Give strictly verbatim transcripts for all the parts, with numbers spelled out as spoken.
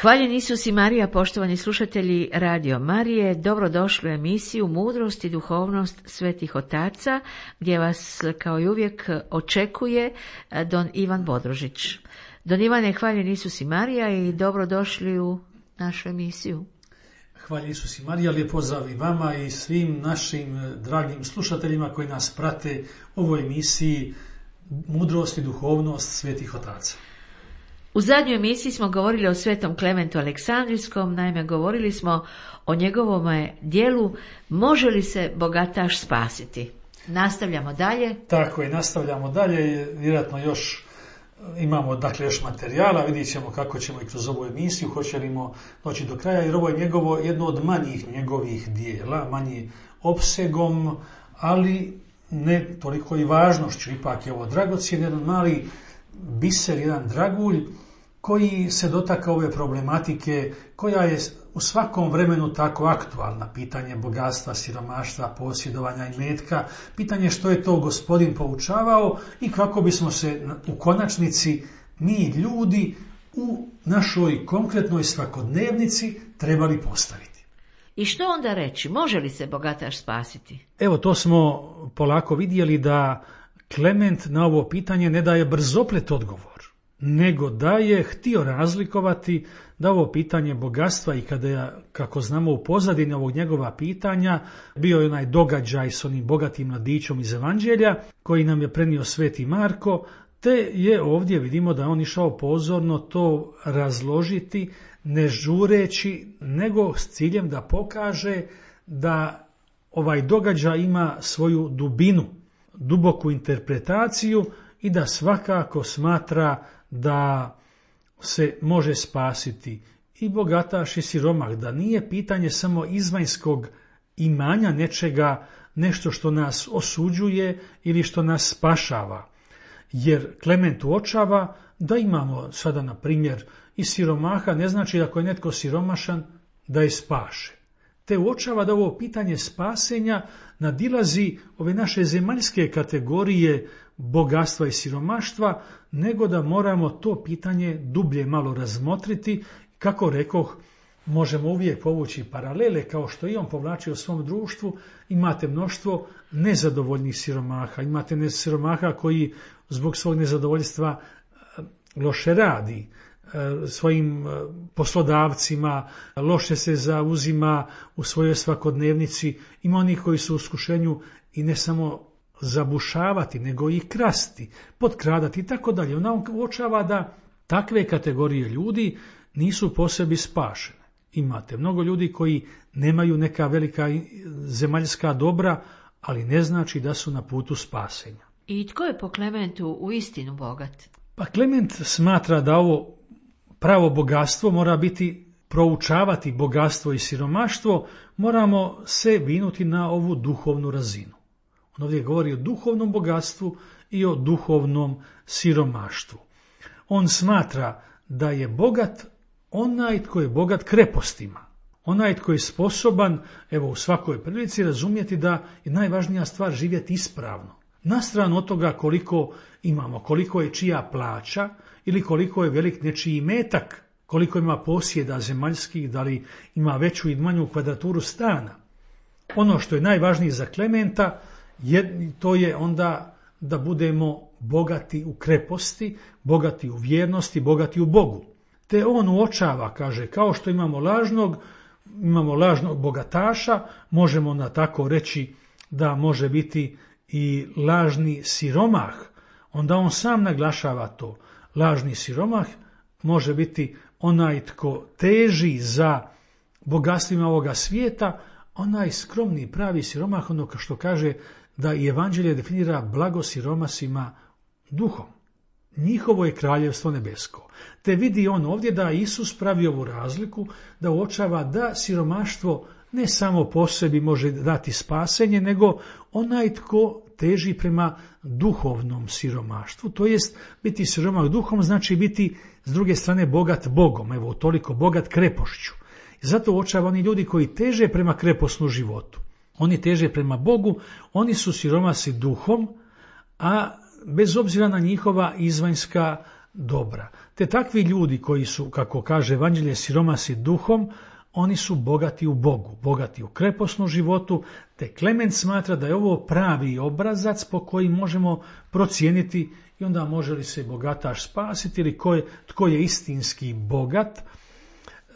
Hvaljen Isus i Marija, poštovani slušatelji Radio Marije, dobrodošli u emisiju Mudrost i duhovnost svetih otaca, gdje vas kao i uvijek očekuje don Ivan Bodrožić. Don Ivane, hvaljen Isus i Marija i dobrodošli u našu emisiju. Hvala Isus i Marija, lijep pozdrav i vama i svim našim dragim slušateljima koji nas prate u ovoj emisiji Mudrost i duhovnost svetih otaca. U zadnjoj emisiji smo govorili o svetom Klementu Aleksandrijskom, naime govorili smo o njegovom dijelu Može li se bogataš spasiti? Nastavljamo dalje. Tako je, nastavljamo dalje, vjerojatno još imamo dakle još materijala, vidjet ćemo kako ćemo i kroz ovu emisiju, hoćemo doći do kraja, jer ovo je njegovo, jedno od manjih njegovih dijela, manji opsegom, ali ne toliko i važnošću, ipak je ovo dragocjen, jedan mali biser, jedan dragulj, koji se dotakao ove problematike, koja je u svakom vremenu tako aktualna, pitanje bogatstva, siromaštva, posjedovanja i metka, pitanje što je to Gospodin poučavao i kako bismo se u konačnici mi ljudi u našoj konkretnoj svakodnevnici trebali postaviti. I što onda reći? Može li se bogataš spasiti? Evo, to smo polako vidjeli da Klement na ovo pitanje ne daje brzoplet odgovor, nego da je htio razlikovati da ovo pitanje bogatstva i kada je, kako znamo u pozadini ovog njegova pitanja, bio je onaj događaj s onim bogatim mladićom iz Evanđelja koji nam je prenio sveti Marko, te je ovdje vidimo da on išao pozorno to razložiti, ne žureći, nego s ciljem da pokaže da ovaj događaj ima svoju dubinu, duboku interpretaciju i da svakako smatra da se može spasiti i bogataš i siromah, da nije pitanje samo izvanjskog imanja nečega, nešto što nas osuđuje ili što nas spašava. Jer Klement uočava da imamo sada, na primjer, i siromaha, ne znači da ako je netko siromašan da je spašen. Te uočava da ovo pitanje spasenja nadilazi ove naše zemaljske kategorije bogatstva i siromaštva, nego da moramo to pitanje dublje malo razmotriti. Kako rekoh, možemo uvijek povući paralele, kao što i on povlači u svom društvu. Imate mnoštvo nezadovoljnih siromaha, imate siromaha koji zbog svog nezadovoljstva loše radi svojim poslodavcima, loše se zauzima u svojoj svakodnevnici. Ima onih koji su u iskušenju i ne samo zabušavati, nego i krasti, potkradati i tako dalje. Ona uočava da takve kategorije ljudi nisu po sebi spašene. Imate mnogo ljudi koji nemaju neka velika zemaljska dobra, ali ne znači da su na putu spasenja. I tko je po Klementu u istinu bogat? Pa Klement smatra da ovo pravo bogatstvo mora biti, proučavati bogatstvo i siromaštvo, moramo se vinuti na ovu duhovnu razinu. On ovdje govori o duhovnom bogatstvu i o duhovnom siromaštvu. On smatra da je bogat onaj tko je bogat krepostima, onaj tko je sposoban, evo u svakoj prilici, razumjeti da je najvažnija stvar živjeti ispravno. Na stranu od toga koliko imamo, koliko je čija plaća ili koliko je velik nečiji metak, koliko ima posjeda zemaljskih, da li ima veću i manju kvadraturu stana. Ono što je najvažnije za Klementa, je, to je onda da budemo bogati u kreposti, bogati u vjernosti, bogati u Bogu. Te on uočava, kaže, kao što imamo lažnog, imamo lažnog bogataša, možemo na tako reći da može biti i lažni siromah. Onda on sam naglašava to. Lažni siromah može biti onaj tko teži za bogatstvima ovoga svijeta, onaj skromni pravi siromah, ono što kaže da i Evanđelje definira blago siromasima duhom. Njihovo je kraljevstvo nebesko. Te vidi on ovdje da Isus pravi ovu razliku, da uočava da siromaštvo ne samo po sebi može dati spasenje, nego onaj tko teži prema duhovnom siromaštvu. To jest, biti siromah duhom znači biti s druge strane bogat Bogom, evo toliko bogat krepošću. I zato uočava oni ljudi koji teže prema kreposnu životu. Oni teže prema Bogu, oni su siromasi duhom, a bez obzira na njihova izvanjska dobra. Te takvi ljudi koji su, kako kaže Evanđelje, siromasi duhom, oni su bogati u Bogu, bogati u kreposnom životu, te Klement smatra da je ovo pravi obrazac po koji možemo procijeniti i onda može li se bogataš spasiti ili ko je, tko je istinski bogat,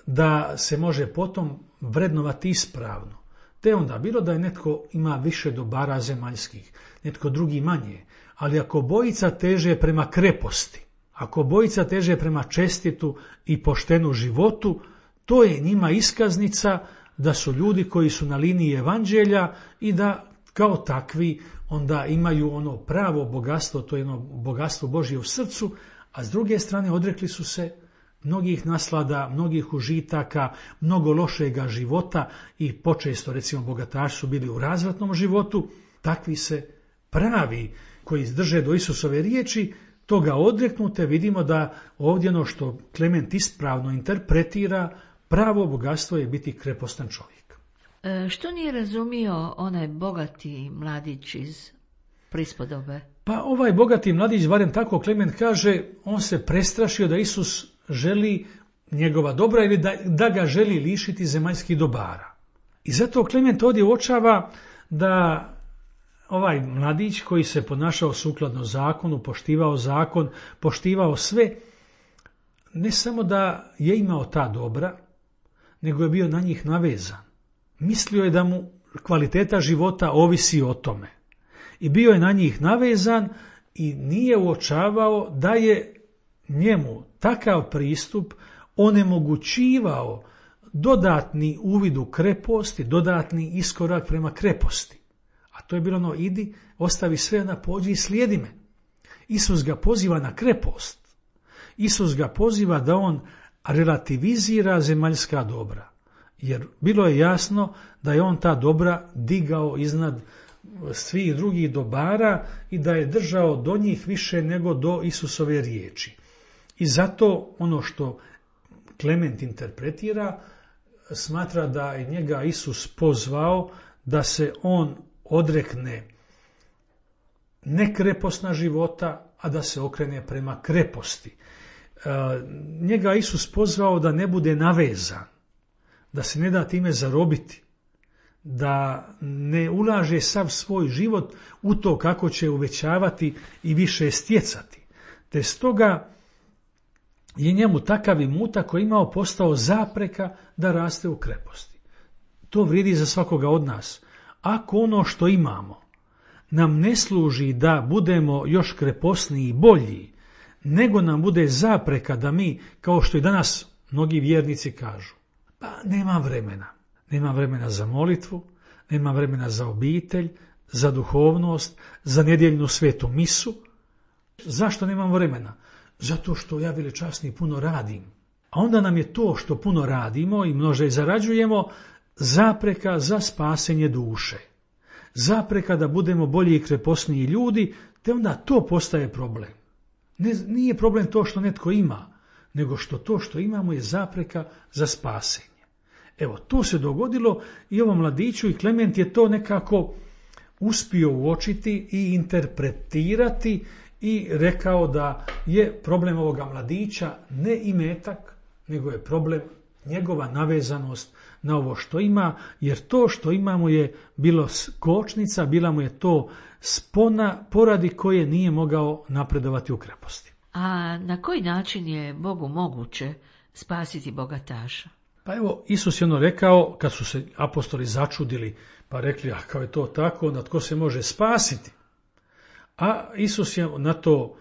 da se može potom vrednovati ispravno. Te onda bilo da je netko ima više dobara zemaljskih, netko drugi manje, ali ako bojica teže prema kreposti, ako bojica teže prema čestitu i poštenu životu, to je njima iskaznica da su ljudi koji su na liniji evanđelja i da kao takvi onda imaju ono pravo bogatstvo, to je ono bogatstvo Božje u srcu, a s druge strane odrekli su se mnogih naslada, mnogih užitaka, mnogo lošega života i počesto, recimo, bogataši su bili u razvratnom životu. Takvi se pravi koji drže do Isusove riječi, toga odreknute, vidimo da ovdje ono što Klement ispravno interpretira, pravo bogatstvo je biti krepostan čovjek. E, što nije razumio onaj bogati mladić iz prispodobe? Pa ovaj bogati mladić, barem tako Klement kaže, on se prestrašio da Isus želi njegova dobra ili da, da ga želi lišiti zemaljskih dobara. I zato Klement ovdje uočava da ovaj mladić koji se ponašao sukladno zakonu, poštivao zakon, poštivao sve, ne samo da je imao ta dobra, nego je bio na njih navezan. Mislio je da mu kvaliteta života ovisi o tome. I bio je na njih navezan i nije uočavao da je njemu takav pristup onemogućivao dodatni uvid u krepost i dodatni iskorak prema kreposti. A to je bilo ono, idi, ostavi sve na pođi i slijedi me. Isus ga poziva na krepost. Isus ga poziva da on relativizira zemaljska dobra. Jer bilo je jasno da je on ta dobra digao iznad svih drugih dobara i da je držao do njih više nego do Isusove riječi. I zato ono što Klement interpretira, smatra da je njega Isus pozvao da se on odrekne nekreposna života, a da se okrene prema kreposti. E, njega Isus pozvao da ne bude navezan, da se ne da time zarobiti, da ne ulaže sav svoj život u to kako će uvećavati i više stjecati. Te stoga je njemu takav imutak koji imao postao zapreka da raste u kreposti. To vrijedi za svakoga od nas. Ako ono što imamo nam ne služi da budemo još kreposniji i bolji, nego nam bude zapreka da mi, kao što i danas mnogi vjernici kažu, pa nema vremena. Nema vremena za molitvu, nema vremena za obitelj, za duhovnost, za nedjeljnu svetu misu. Zašto nemam vremena? Zato što ja velečasni puno radim. A onda nam je to što puno radimo i množe zarađujemo zapreka za spasenje duše. Zapreka da budemo bolji i kreposniji ljudi, te onda to postaje problem. Ne, nije problem to što netko ima, nego što to što imamo je zapreka za spasenje. Evo, to se dogodilo i ovom mladiću i Klement je to nekako uspio uočiti i interpretirati i rekao da je problem ovoga mladića ne imetak, nego je problem njegova navezanost na ovo što ima, jer to što imamo je bilo kočnica, bila mu je to spona poradi koje nije mogao napredovati u kreposti. A na koji način je Bogu moguće spasiti bogataša? Pa evo, Isus je ono rekao, kad su se apostoli začudili, pa rekli, a kao je to tako, onda tko se može spasiti? A Isus je na to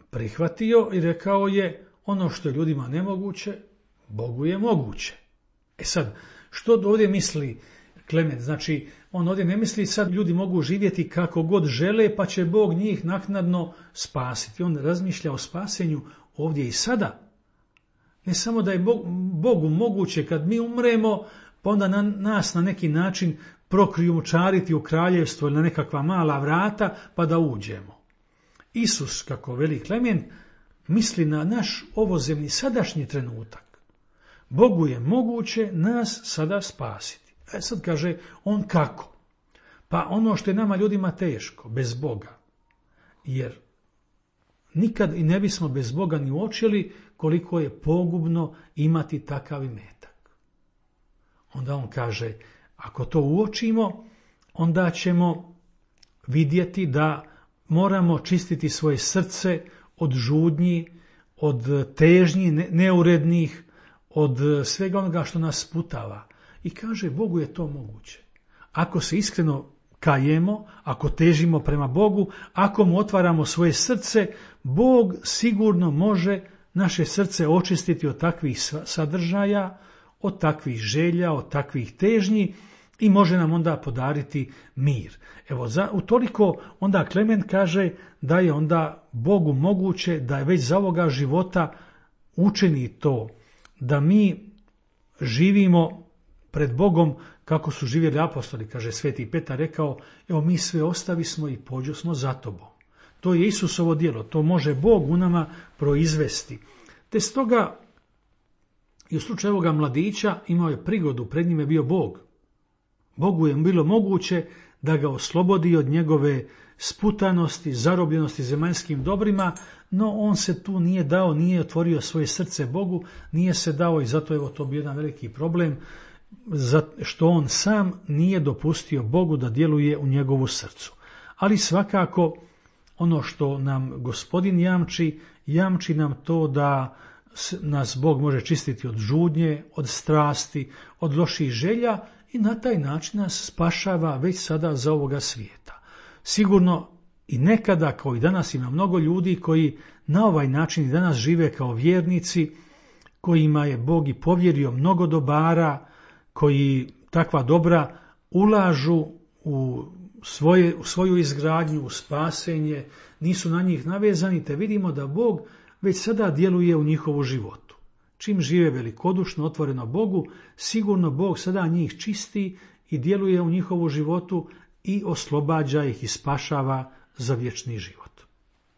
prihvatio i rekao je, ono što je ljudima nemoguće, Bogu je moguće. E sad, što ovdje misli Klement? Znači, on ovdje ne misli sad ljudi mogu živjeti kako god žele, pa će Bog njih naknadno spasiti. On razmišlja o spasenju ovdje i sada. Ne samo da je Bogu moguće kad mi umremo, pa onda na nas na neki način prokrijumčariti u kraljevstvo ili na nekakva mala vrata, pa da uđemo. Isus, kako veli Klement, misli na naš ovozemni sadašnji trenutak. Bogu je moguće nas sada spasiti. E sad kaže on kako? Pa ono što je nama ljudima teško, bez Boga. Jer nikad i ne bismo bez Boga ni uočili koliko je pogubno imati takav imetak. Onda on kaže, ako to uočimo, onda ćemo vidjeti da moramo čistiti svoje srce od žudnji, od težnji neurednih, od svega onoga što nas sputava. I kaže, Bogu je to moguće. Ako se iskreno kajemo, ako težimo prema Bogu, ako mu otvaramo svoje srce, Bog sigurno može naše srce očistiti od takvih sadržaja, od takvih želja, od takvih težnji i može nam onda podariti mir. Evo, za, utoliko onda Klement kaže da je onda Bogu moguće da je već za ovoga života učini to, da mi živimo pred Bogom kako su živjeli apostoli, kaže Sveti Petar rekao, evo mi sve ostavismo i pođosmo za tobom. To je Isusovo djelo, to može Bog u nama proizvesti. Te stoga i u slučaju ovoga mladića imao je prigodu, pred njim je bio Bog. Bogu je bilo moguće da ga oslobodi od njegove sputanosti, zarobljenosti zemaljskim dobrima, no on se tu nije dao, nije otvorio svoje srce Bogu, nije se dao i zato evo to bio jedan veliki problem, što on sam nije dopustio Bogu da djeluje u njegovu srcu. Ali svakako ono što nam Gospodin jamči, jamči nam to da nas Bog može čistiti od žudnje, od strasti, od loših želja i na taj način nas spašava već sada za ovoga svijeta. Sigurno i nekada, kao i danas, ima mnogo ljudi koji na ovaj način i danas žive kao vjernici, kojima je Bog i povjerio mnogo dobara, koji takva dobra ulažu u, svoje, u svoju izgradnju, u spasenje, nisu na njih navezani, te vidimo da Bog već sada djeluje u njihovu životu. Čim žive velikodušno, otvoreno Bogu, sigurno Bog sada njih čisti i djeluje u njihovu životu i oslobađa ih i spašava za vječni život.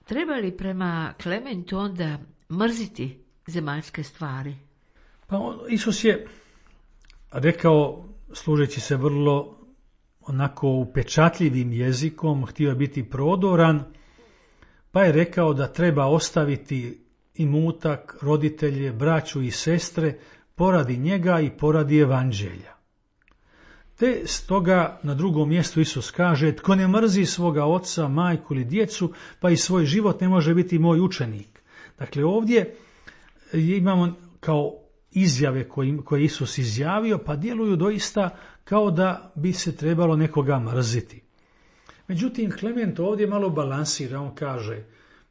Treba li prema Klementu onda mrziti zemaljske stvari? Pa on, Isus je rekao, služeći se vrlo onako upečatljivim jezikom, htio je biti prodoran, pa je rekao da treba ostaviti imutak, roditelje, braću i sestre poradi njega i poradi evanđelja. Te stoga na drugom mjestu Isus kaže, tko ne mrzi svoga oca, majku ili djecu, pa i svoj život ne može biti moj učenik. Dakle, ovdje imamo kao izjave koje, koje Isus izjavio, pa djeluju doista kao da bi se trebalo nekoga mrziti. Međutim, Klement ovdje malo balansira, on kaže,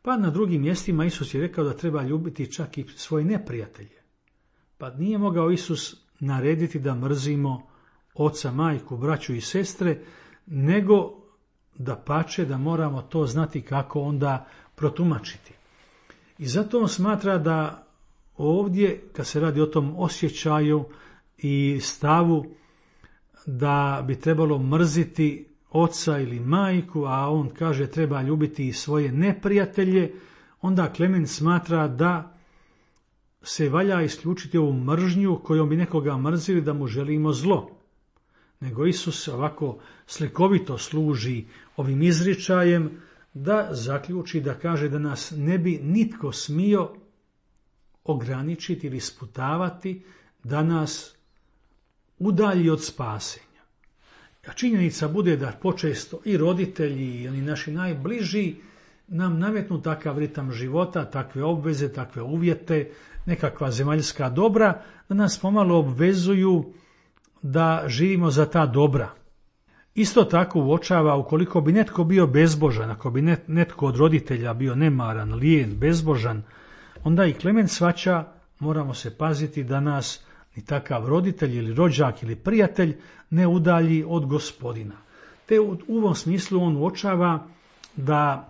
pa na drugim mjestima Isus je rekao da treba ljubiti čak i svoje neprijatelje. Pa nije mogao Isus narediti da mrzimo oca, majku, braću i sestre, nego da pače da moramo to znati kako onda protumačiti. I zato on smatra da ovdje, kad se radi o tom osjećaju i stavu da bi trebalo mrziti oca ili majku, a on kaže treba ljubiti i svoje neprijatelje, onda Klement smatra da se valja isključiti ovu mržnju kojom bi nekoga mrzili da mu želimo zlo. Nego Isus ovako slikovito služi ovim izričajem da zaključi, da kaže da nas ne bi nitko smio ograničiti ili sputavati, da nas udalji od spasenja. A činjenica bude da počesto i roditelji i oni naši najbliži nam nametnu takav ritam života, takve obveze, takve uvjete, nekakva zemaljska dobra, da nas pomalo obvezuju da živimo za ta dobra. Isto tako uočava ukoliko bi netko bio bezbožan, ako bi netko od roditelja bio nemaran, lijen, bezbožan, onda i Klement shvaća, moramo se paziti da nas ni takav roditelj ili rođak ili prijatelj ne udalji od Gospodina. Te u ovom smislu on uočava da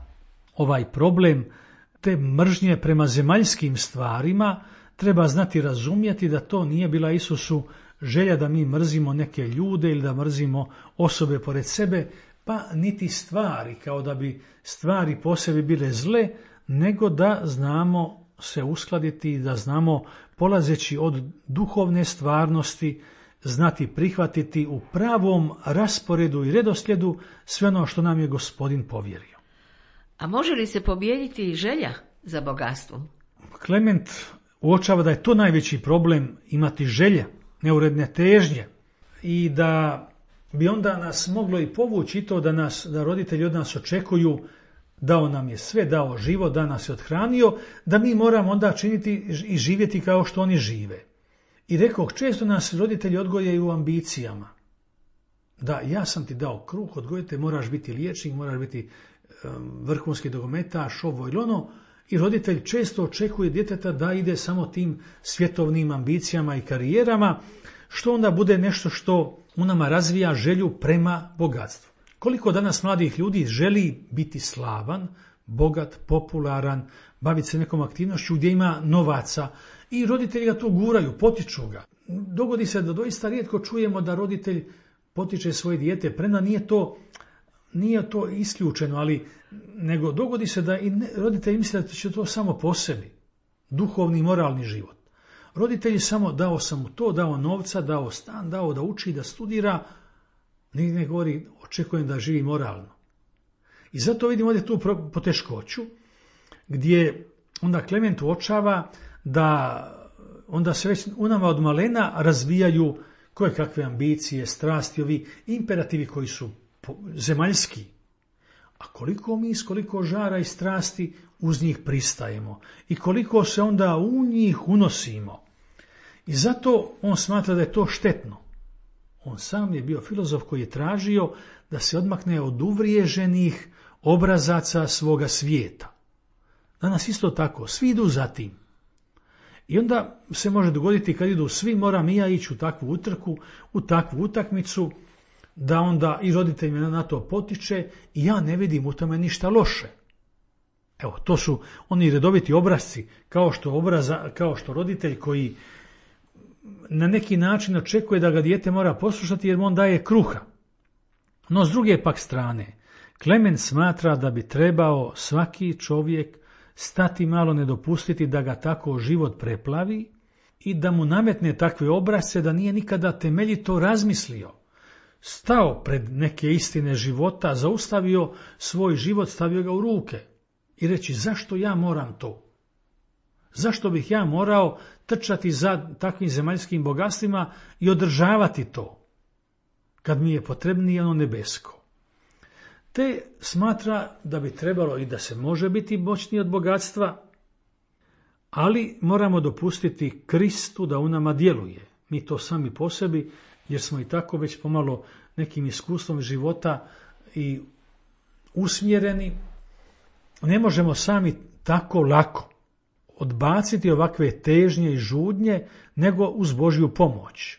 ovaj problem te mržnje prema zemaljskim stvarima treba znati razumjeti da to nije bila Isusu želja da mi mrzimo neke ljude ili da mrzimo osobe pored sebe, pa niti stvari, kao da bi stvari po sebi bile zle, nego da znamo se uskladiti i da znamo, polazeći od duhovne stvarnosti, znati prihvatiti u pravom rasporedu i redoslijedu sve ono što nam je Gospodin povjerio. A može li se pobijediti želja za bogatstvom? Klement uočava da je to najveći problem, imati želja, neuredne težnje, i da bi onda nas moglo i povući to da, nas, da roditelji od nas očekuju, dao nam je sve, dao život, da nas je othranio, da mi moramo onda činiti i živjeti kao što oni žive. I rekao, često nas roditelji odgojaju u ambicijama. Da, ja sam ti dao kruh, odgojite, moraš biti liječnik, moraš biti um, vrhunski nogometaš, ovo ili ono, i roditelj često očekuje djeteta da ide samo tim svjetovnim ambicijama i karijerama, što onda bude nešto što u nama razvija želju prema bogatstvu. Koliko danas mladih ljudi želi biti slavan, bogat, popularan, baviti se nekom aktivnošću gdje ima novaca, i roditelji ga to guraju, potiču ga. Dogodi se da doista rijetko čujemo da roditelj potiče svoje dijete, premda nije to, nije to isključeno, ali nego dogodi se da i ne, roditelji misle da će to samo po sebi, duhovni i moralni život. Roditelji samo dao sam mu to, dao novca, dao stan, dao da uči, da studira, nigdje ne govori očekujem da živi moralno. I zato vidimo ovdje tu poteškoću, gdje onda Klement uočava da onda se već u nama od malena razvijaju koje kakve ambicije, strasti, ovi imperativi koji su zemaljski. A koliko mi, s koliko žara i strasti uz njih pristajemo i koliko se onda u njih unosimo. I zato on smatra da je to štetno. On sam je bio filozof koji je tražio da se odmakne od uvriježenih obrazaca svoga svijeta. Danas isto tako, svi idu za tim. I onda se može dogoditi kad idu svi, moram i ja ići u takvu utrku, u takvu utakmicu, da onda i roditelj me na to potiče i ja ne vidim u tome ništa loše. Evo, to su oni redoviti obrazci, kao što, obraza, kao što roditelj koji na neki način očekuje da ga dijete mora poslušati jer mu on daje kruha. No s druge pak strane, Klement smatra da bi trebao svaki čovjek stati malo, ne dopustiti da ga tako život preplavi i da mu nametne takve obrazce da nije nikada temeljito razmislio. Stao pred neke istine života, zaustavio svoj život, stavio ga u ruke i reći zašto ja moram to? Zašto bih ja morao trčati za takvim zemaljskim bogatstvima i održavati to, kad mi je potrebnije ono nebesko? Te smatra da bi trebalo i da se može biti moćniji od bogatstva, ali moramo dopustiti Kristu da u nama djeluje. Mi to sami po sebi, jer smo i tako već pomalo nekim iskustvom života i usmjereni, ne možemo sami tako lako odbaciti ovakve težnje i žudnje, nego uz Božju pomoć.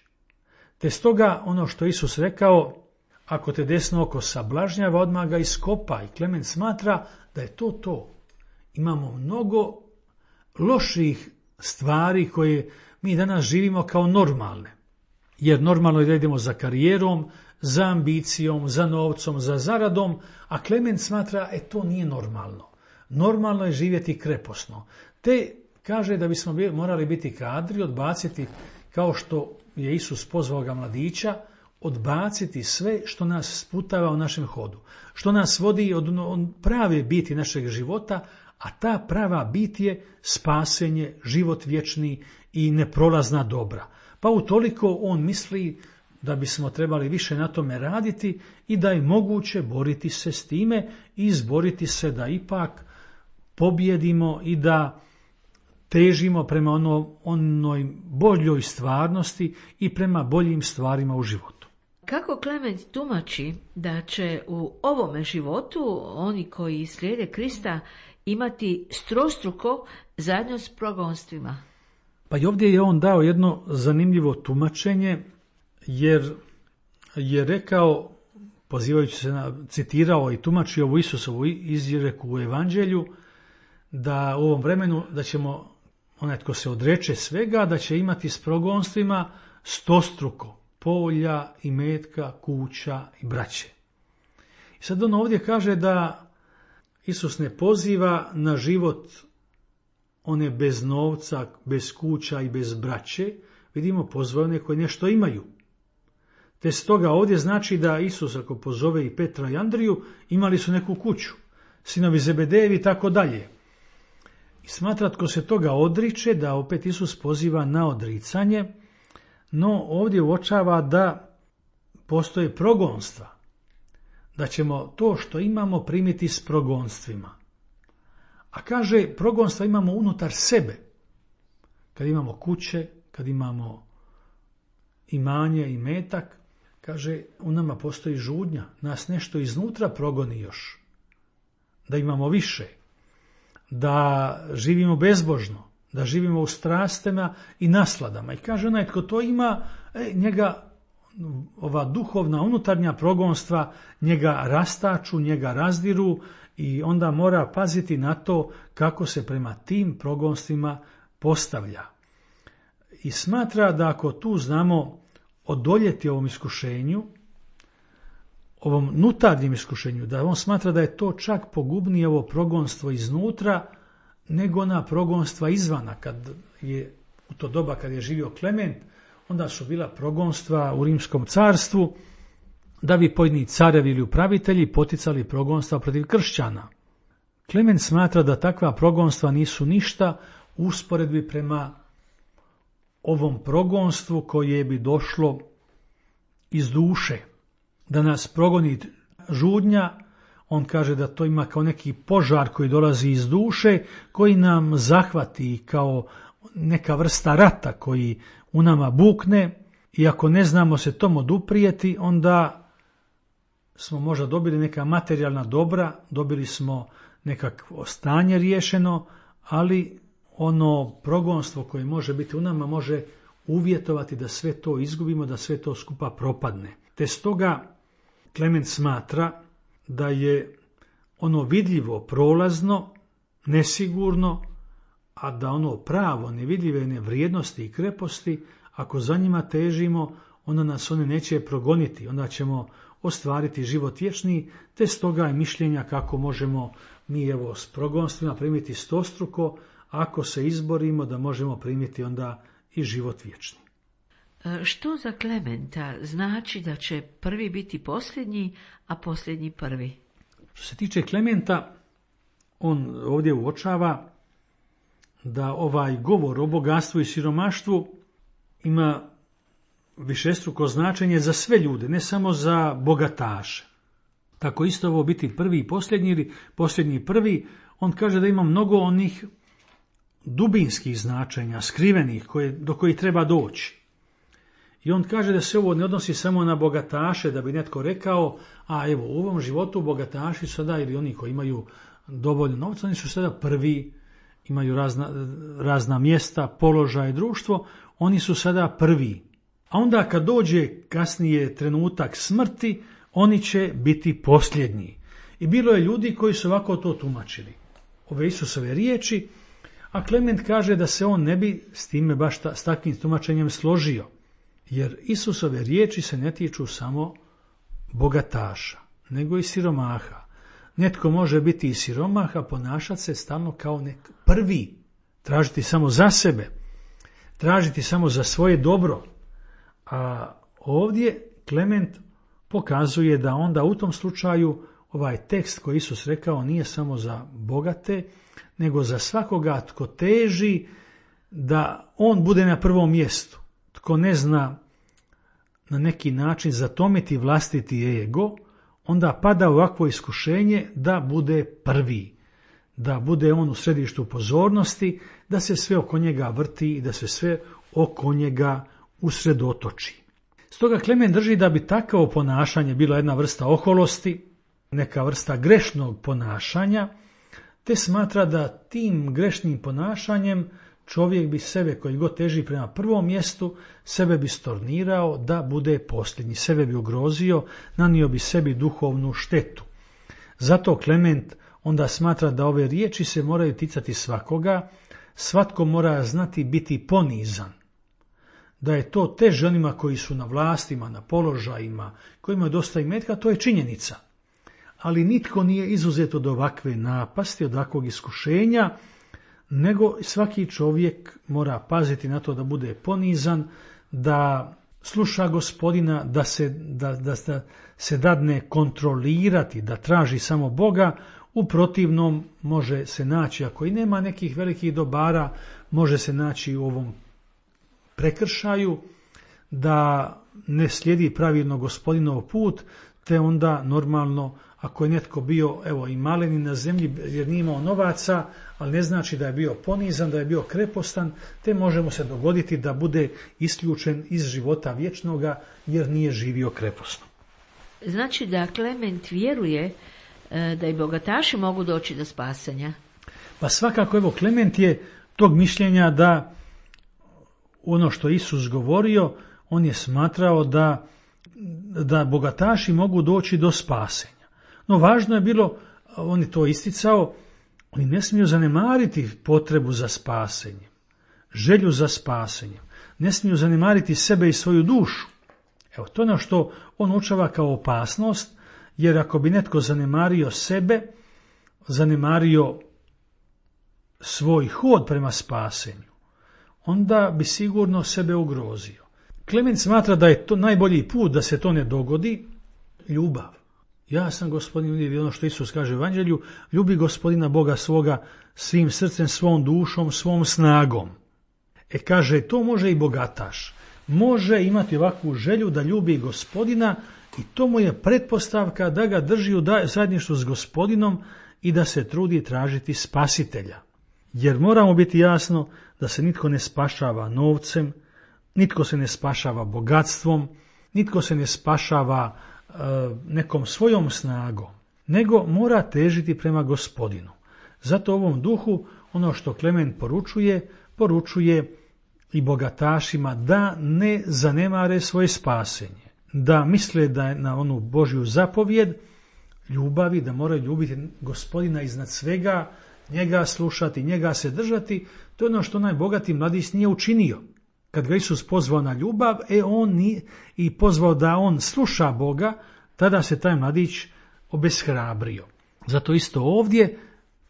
Te stoga ono što Isus rekao, ako te desno oko sablažnjava, odmah ga iskopa. I Klement smatra da je to to. Imamo mnogo loših stvari koje mi danas živimo kao normalne. Jer normalno je da idemo za karijerom, za ambicijom, za novcom, za zaradom, a Klement smatra e to nije normalno. Normalno je živjeti kreposno. Te kaže da bismo morali biti kadri, odbaciti, kao što je Isus pozvao ga mladića, odbaciti sve što nas sputava u našem hodu, što nas vodi od prave biti našeg života, a ta prava bit je spasenje, život vječni i neprolazna dobra. Pa utoliko on misli da bismo trebali više na tome raditi i da je moguće boriti se s time i izboriti se da ipak pobjedimo i da težimo prema ono, onoj boljoj stvarnosti i prema boljim stvarima u životu. Kako Klement tumači da će u ovome životu oni koji slijede Krista imati strostruko zajedno s progonstvima? Pa i ovdje je on dao jedno zanimljivo tumačenje, jer je rekao, pozivajući se na, citirao i tumačio ovu Isusovu izreku u Evanđelju, da u ovom vremenu da ćemo, onaj tko se odreče svega, da će imati s progonstvima stostruko polja, imetka, kuća i braće. I sad on ovdje kaže da Isus ne poziva na život one bez novca, bez kuća i bez braće, vidimo pozvao one koji nešto imaju. Te stoga ovdje znači da Isus ako pozove i Petra i Andriju, imali su neku kuću. sinovi Zebedejevi i tako dalje. I smatra tko se toga odriče, da opet Isus poziva na odricanje, no ovdje uočava da postoje progonstva, da ćemo to što imamo primiti s progonstvima. A kaže, progonstva imamo unutar sebe, kad imamo kuće, kad imamo imanje i metak, kaže, u nama postoji žudnja, nas nešto iznutra progoni još, da imamo više, da živimo bezbožno, da živimo u strastima i nasladama. I kaže, onaj tko to ima, e, njega ova duhovna unutarnja progonstva njega rastaču, njega razdiru i onda mora paziti na to kako se prema tim progonstvima postavlja. I smatra da ako tu znamo odoljeti ovom iskušenju, ovom nutarnjem iskušenju, da on smatra da je to čak pogubnije ovo progonstvo iznutra nego na progonstva izvana. Kad je u to doba kad je živio Klement, onda su bila progonstva u Rimskom carstvu, da bi pojedini carevi ili upravitelji poticali progonstva protiv kršćana. Klement smatra da takva progonstva nisu ništa u usporedbi prema ovom progonstvu koje bi došlo iz duše. Da nas progoni žudnja, on kaže da to ima kao neki požar koji dolazi iz duše, koji nam zahvati kao neka vrsta rata koji u nama bukne i ako ne znamo se tom oduprijeti, onda smo možda dobili neka materijalna dobra, dobili smo nekakvo stanje riješeno, ali ono progonstvo koje može biti u nama može uvjetovati da sve to izgubimo, da sve to skupa propadne. Te stoga Klement smatra da je ono vidljivo prolazno, nesigurno, a da ono pravo, nevidljive vrijednosti i kreposti, ako za njima težimo, onda nas one neće progoniti, onda ćemo ostvariti život vječni, te stoga je mišljenja kako možemo mi evo s progonstvima primiti stostruko, ako se izborimo da možemo primiti onda i život vječni. Što za Klementa znači da će prvi biti posljednji, a posljednji prvi? Što se tiče Klementa, on ovdje uočava da ovaj govor o bogatstvu i siromaštvu ima višestruko značenje za sve ljude, ne samo za bogataše. Tako isto ovo biti prvi i posljednji ili posljednji prvi, on kaže da ima mnogo onih dubinskih značenja, skrivenih, koje, do kojih treba doći. I on kaže da se ovo ne odnosi samo na bogataše, da bi netko rekao, a evo u ovom životu bogataši sada ili oni koji imaju dovoljno novca, oni su sada prvi, imaju razna, razna mjesta, položaj, društvo, oni su sada prvi. A onda kad dođe kasnije trenutak smrti, oni će biti posljednji. I bilo je ljudi koji su ovako to tumačili. Ove Isusove riječi, a Klement kaže da se on ne bi s time baš ta, s takvim tumačenjem složio. Jer Isusove riječi se ne tiču samo bogataša, nego i siromaha. Netko može biti i siromah, a ponašati se stalno kao nek prvi, tražiti samo za sebe, tražiti samo za svoje dobro. A ovdje Klement pokazuje da onda u tom slučaju ovaj tekst koji Isus rekao nije samo za bogate, nego za svakoga tko teži da on bude na prvom mjestu. Tko ne zna na neki način zatomiti vlastiti ego, onda pada u ovakvo iskušenje da bude prvi, da bude on u središtu pozornosti, da se sve oko njega vrti i da se sve oko njega usredotoči. Stoga Klement drži da bi takvo ponašanje bilo jedna vrsta oholosti, neka vrsta grešnog ponašanja, te smatra da tim grešnim ponašanjem čovjek bi sebe, koji god teži prema prvom mjestu, sebe bi stornirao da bude posljednji, sebe bi ugrozio, nanio bi sebi duhovnu štetu. Zato Klement onda smatra da ove riječi se moraju ticati svakoga, svatko mora znati biti ponizan. Da je to teže onima koji su na vlastima, na položajima, koji imaju dosta imetka, to je činjenica. Ali nitko nije izuzet od ovakve napasti, od ovakvog iskušenja, nego svaki čovjek mora paziti na to da bude ponizan, da sluša Gospodina, da se, da, da, da se dadne kontrolirati, da traži samo Boga U protivnom može se naći, ako i nema nekih velikih dobara, može se naći u ovom prekršaju da ne slijedi pravilno Gospodinov put, te onda normalno ako je netko bio evo i maleni na zemlji jer nije imao novaca, ali ne znači da je bio ponizan, da je bio krepostan, te može mu se dogoditi da bude isključen iz života vječnoga jer nije živio kreposno. Znači da Klement vjeruje da i bogataši mogu doći do spasenja? Pa svakako, evo, Klement je tog mišljenja da ono što Isus govorio, on je smatrao da, da bogataši mogu doći do spasenja. No važno je bilo, on je to isticao, oni ne smiju zanemariti potrebu za spasenjem, želju za spasenjem, ne smiju zanemariti sebe i svoju dušu. Evo, to je ono što on učava kao opasnost, jer ako bi netko zanemario sebe, zanemario svoj hod prema spasenju, onda bi sigurno sebe ugrozio. Klement smatra da je to najbolji put da se to ne dogodi, ljubav. Ja sam Gospodin, ono što Isus kaže u Evanđelju, ljubi Gospodina Boga svoga svim srcem, svom dušom, svom snagom. E kaže, to može i bogataš. Može imati ovakvu želju da ljubi Gospodina i to mu je pretpostavka da ga drži u zajedništvu s Gospodinom i da se trudi tražiti spasitelja. Jer moramo biti jasno da se nitko ne spašava novcem, nitko se ne spašava bogatstvom, nitko se ne spašava e, nekom svojom snagom, nego mora težiti prema Gospodinu. Zato u ovom duhu ono što Klement poručuje, poručuje i bogatašima da ne zanemare svoje spasenje, da misle da je na onu Božju zapovjed ljubavi, da moraju ljubiti Gospodina iznad svega, njega slušati, njega se držati. To je ono što najbogati mladić nije učinio. Kad ga Isus pozvao na ljubav, e on nije, i pozvao da on sluša Boga, tada se taj mladić obeshrabrio. Zato isto ovdje,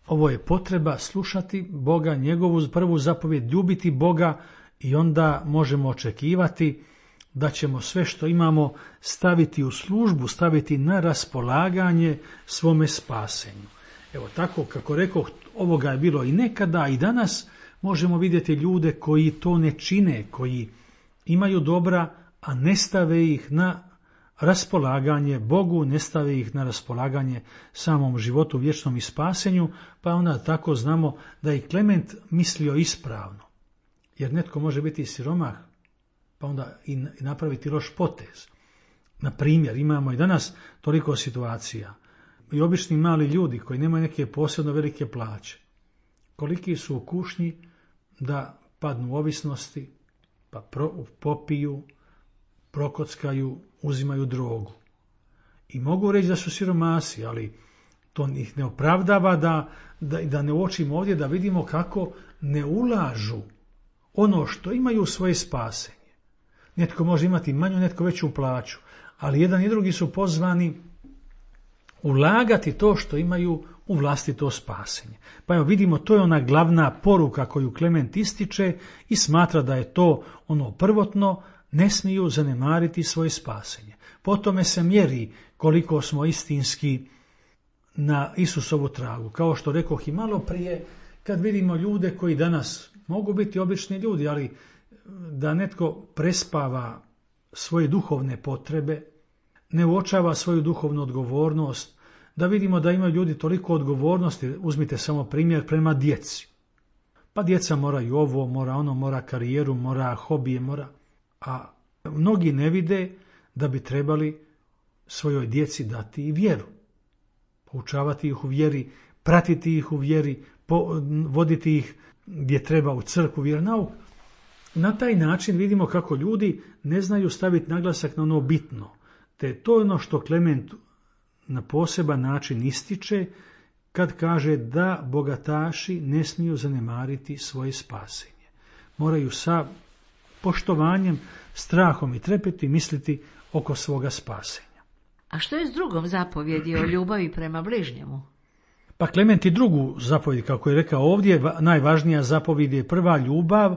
ovo je potreba slušati Boga, njegovu prvu zapovjed, ljubiti Boga, i onda možemo očekivati da ćemo sve što imamo staviti u službu, staviti na raspolaganje svome spasenju. Evo tako, kako rekoh, ovoga je bilo i nekada i danas možemo vidjeti ljude koji to ne čine, koji imaju dobra, a ne stave ih na raspolaganje Bogu, ne stave ih na raspolaganje samom životu, vječnom i spasenju, pa onda tako znamo da je Klement mislio ispravno. Jer netko može biti siromah, pa onda i napraviti loš potez. Na primjer, imamo i danas toliko situacija. I obični mali ljudi koji nemaju neke posebno velike plaće, koliki su u kušnji da padnu u ovisnosti, pa pro, popiju, prokockaju, uzimaju drogu. I mogu reći da su siromasi, ali to ih ne opravdava da, da, da ne uočimo ovdje, da vidimo kako ne ulažu ono što imaju u svoje spasenje. Netko može imati manju, netko veću plaću, ali jedan i drugi su pozvani ulagati to što imaju u vlastito spasenje. Pa evo vidimo, to je ona glavna poruka koju Klement ističe i smatra da je to ono prvotno, ne smiju zanemariti svoje spasenje. Po tome se mjeri koliko smo istinski na Isusovu tragu. Kao što rekoh i malo prije, kad vidimo ljude koji danas mogu biti obični ljudi, ali da netko prespava svoje duhovne potrebe, ne uočava svoju duhovnu odgovornost, da vidimo da imaju ljudi toliko odgovornosti, uzmite samo primjer prema djeci. Pa djeca moraju ovo, mora ono, mora karijeru, mora hobije, mora... A mnogi ne vide da bi trebali svojoj djeci dati i vjeru. Poučavati ih u vjeri, pratiti ih u vjeri, voditi ih gdje treba u crkvu, vjeronauk. Na taj način vidimo kako ljudi ne znaju staviti naglasak na ono bitno. Te to je ono što Klement na poseban način ističe kad kaže da bogataši ne smiju zanemariti svoje spasenje. Moraju sa poštovanjem, strahom i trepeti misliti oko svoga spasenja. A što je s drugom zapovjedi o ljubavi prema bližnjemu? Pa Klement i drugu zapovjed, kako je rekao ovdje, najvažnija zapovjed je prva ljubav,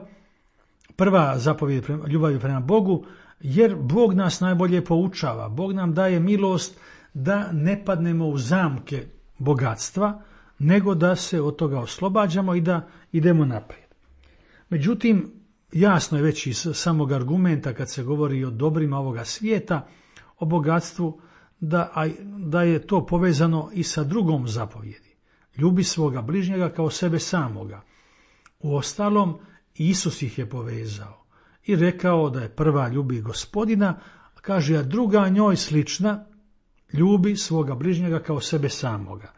prva zapovjed prema, ljubavi prema Bogu, jer Bog nas najbolje poučava. Bog nam daje milost da ne padnemo u zamke bogatstva, nego da se od toga oslobađamo i da idemo naprijed. Međutim, jasno je već iz samog argumenta kad se govori o dobrima ovoga svijeta, o bogatstvu, da, a, da je to povezano i sa drugom zapovjedi. Ljubi svoga bližnjega kao sebe samoga. Uostalom, Isus ih je povezao i rekao da je prva ljubi Gospodina, a kaže, a druga njoj slična, ljubi svoga bližnjega kao sebe samoga.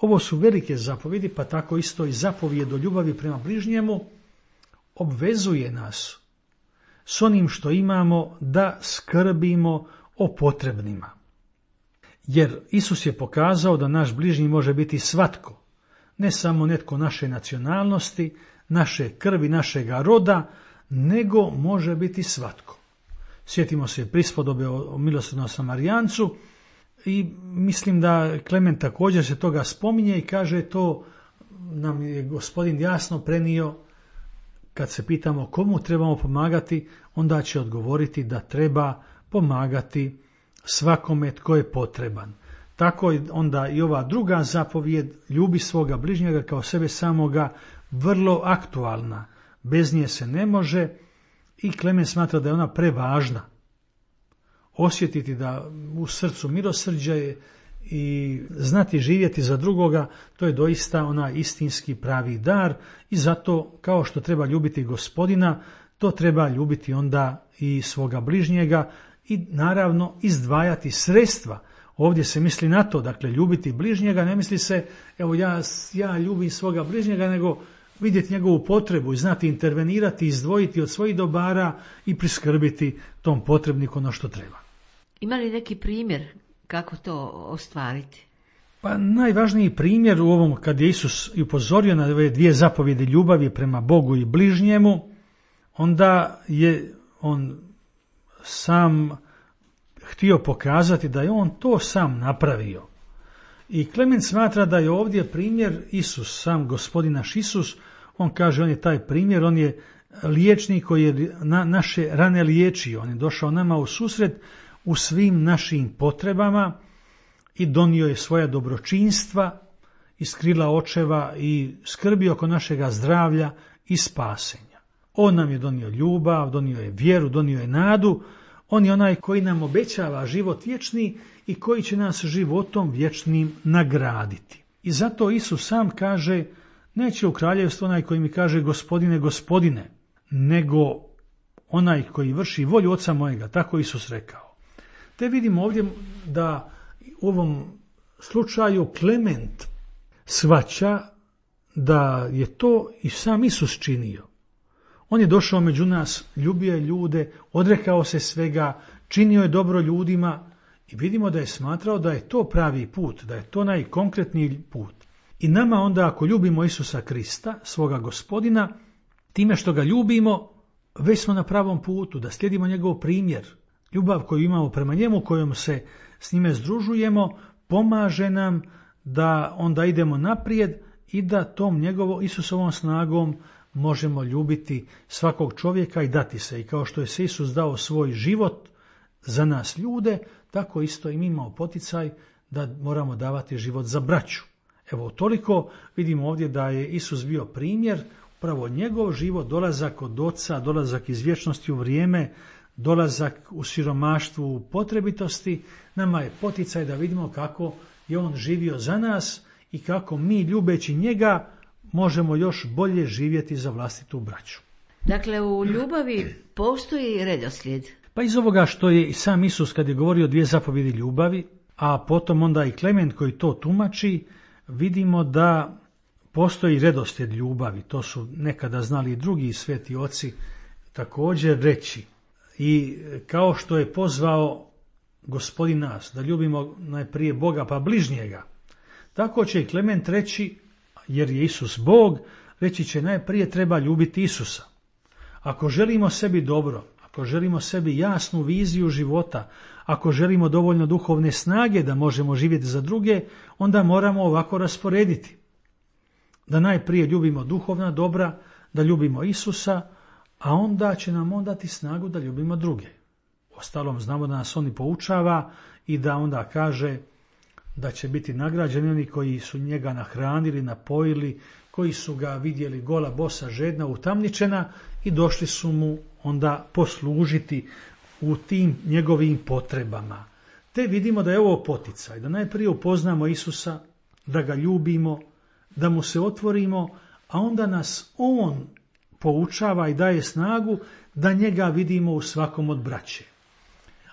Ovo su velike zapovjedi, pa tako isto i zapovjed o ljubavi prema bližnjemu obvezuje nas s onim što imamo da skrbimo o potrebnima. Jer Isus je pokazao da naš bližnji može biti svatko, ne samo netko naše nacionalnosti, naše krvi, našega roda, nego može biti svatko. Sjetimo se prispodobe o milosrdnom Samarijancu i mislim da Klement također se toga spominje i kaže, to nam je Gospodin jasno prenio. Kad se pitamo komu trebamo pomagati, onda će odgovoriti da treba pomagati svakome tko je potreban. Tako je onda i ova druga zapovjed, ljubi svoga bližnjega kao sebe samoga, vrlo aktualna. Bez nje se ne može i Klement smatra da je ona prevažna. Osjetiti da u srcu milosrđa je i znati živjeti za drugoga, to je doista onaj istinski pravi dar i zato kao što treba ljubiti Gospodina, to treba ljubiti onda i svoga bližnjega i naravno izdvajati sredstva. Ovdje se misli na to, dakle ljubiti bližnjega, ne misli se evo ja, ja ljubim svoga bližnjega, nego vidjeti njegovu potrebu i znati intervenirati, izdvojiti od svojih dobara i priskrbiti tom potrebniku ono što treba. Ima li neki primjer kako to ostvariti? Pa najvažniji primjer u ovom, kad je Isus upozorio na ove dvije zapovjedi ljubavi prema Bogu i bližnjemu, onda je on sam htio pokazati da je on to sam napravio. I Klement smatra da je ovdje primjer Isus, sam Gospodin naš Isus, on kaže, on je taj primjer, on je liječnik koji je na, naše rane liječio, on je došao nama u susret u svim našim potrebama i donio je svoja dobročinstva iz krila očeva i skrbi oko našega zdravlja i spasenja. On nam je donio ljubav, donio je vjeru, donio je nadu, on je onaj koji nam obećava život vječni i koji će nas životom vječnim nagraditi. I zato Isus sam kaže, neće u kraljevstvo onaj koji mi kaže Gospodine, Gospodine, nego onaj koji vrši volju Oca mojega, tako Isus rekao. Te vidimo ovdje da u ovom slučaju Klement shvaća da je to i sam Isus činio. On je došao među nas, ljubio je ljude, odrekao se svega, činio je dobro ljudima i vidimo da je smatrao da je to pravi put, da je to najkonkretniji put. I nama onda ako ljubimo Isusa Krista, svoga Gospodina, time što ga ljubimo, već smo na pravom putu, da slijedimo njegov primjer. Ljubav koju imamo prema njemu, kojom se s njime združujemo, pomaže nam da onda idemo naprijed i da tom njegovom Isusovom snagom možemo ljubiti svakog čovjeka i dati se. I kao što je se Isus dao svoj život za nas ljude, tako isto i mi imamo poticaj da moramo davati život za braću. Evo toliko vidimo ovdje da je Isus bio primjer, upravo njegov život, dolazak od Oca, dolazak iz vječnosti u vrijeme, dolazak u siromaštvu, u potrebitosti, nama je poticaj da vidimo kako je on živio za nas i kako mi ljubeći njega možemo još bolje živjeti za vlastitu braću. Dakle, u ljubavi postoji redoslijed. Pa iz ovoga što je i sam Isus kad je govorio dvije zapovjedi ljubavi, a potom onda i Klement koji to tumači, vidimo da postoji redoslijed ljubavi. To su nekada znali i drugi sveti oci također reći. I kao što je pozvao Gospodin nas da ljubimo najprije Boga pa bližnjega, tako će i Klement reći, jer je Isus Bog, reći će najprije treba ljubiti Isusa. Ako želimo sebi dobro, ako želimo sebi jasnu viziju života, ako želimo dovoljno duhovne snage da možemo živjeti za druge, onda moramo ovako rasporediti. Da najprije ljubimo duhovna dobra, da ljubimo Isusa, a onda će nam on dati snagu da ljubimo druge. Ostalom znamo da nas on i poučava i da onda kaže da će biti nagrađeni oni koji su njega nahranili, napojili, koji su ga vidjeli gola, bosa, žedna, utamničena i došli su mu onda poslužiti u tim njegovim potrebama. Te vidimo da je ovo poticaj, da najprije upoznamo Isusa, da ga ljubimo, da mu se otvorimo, a onda nas on poučava i daje snagu da njega vidimo u svakom od braće.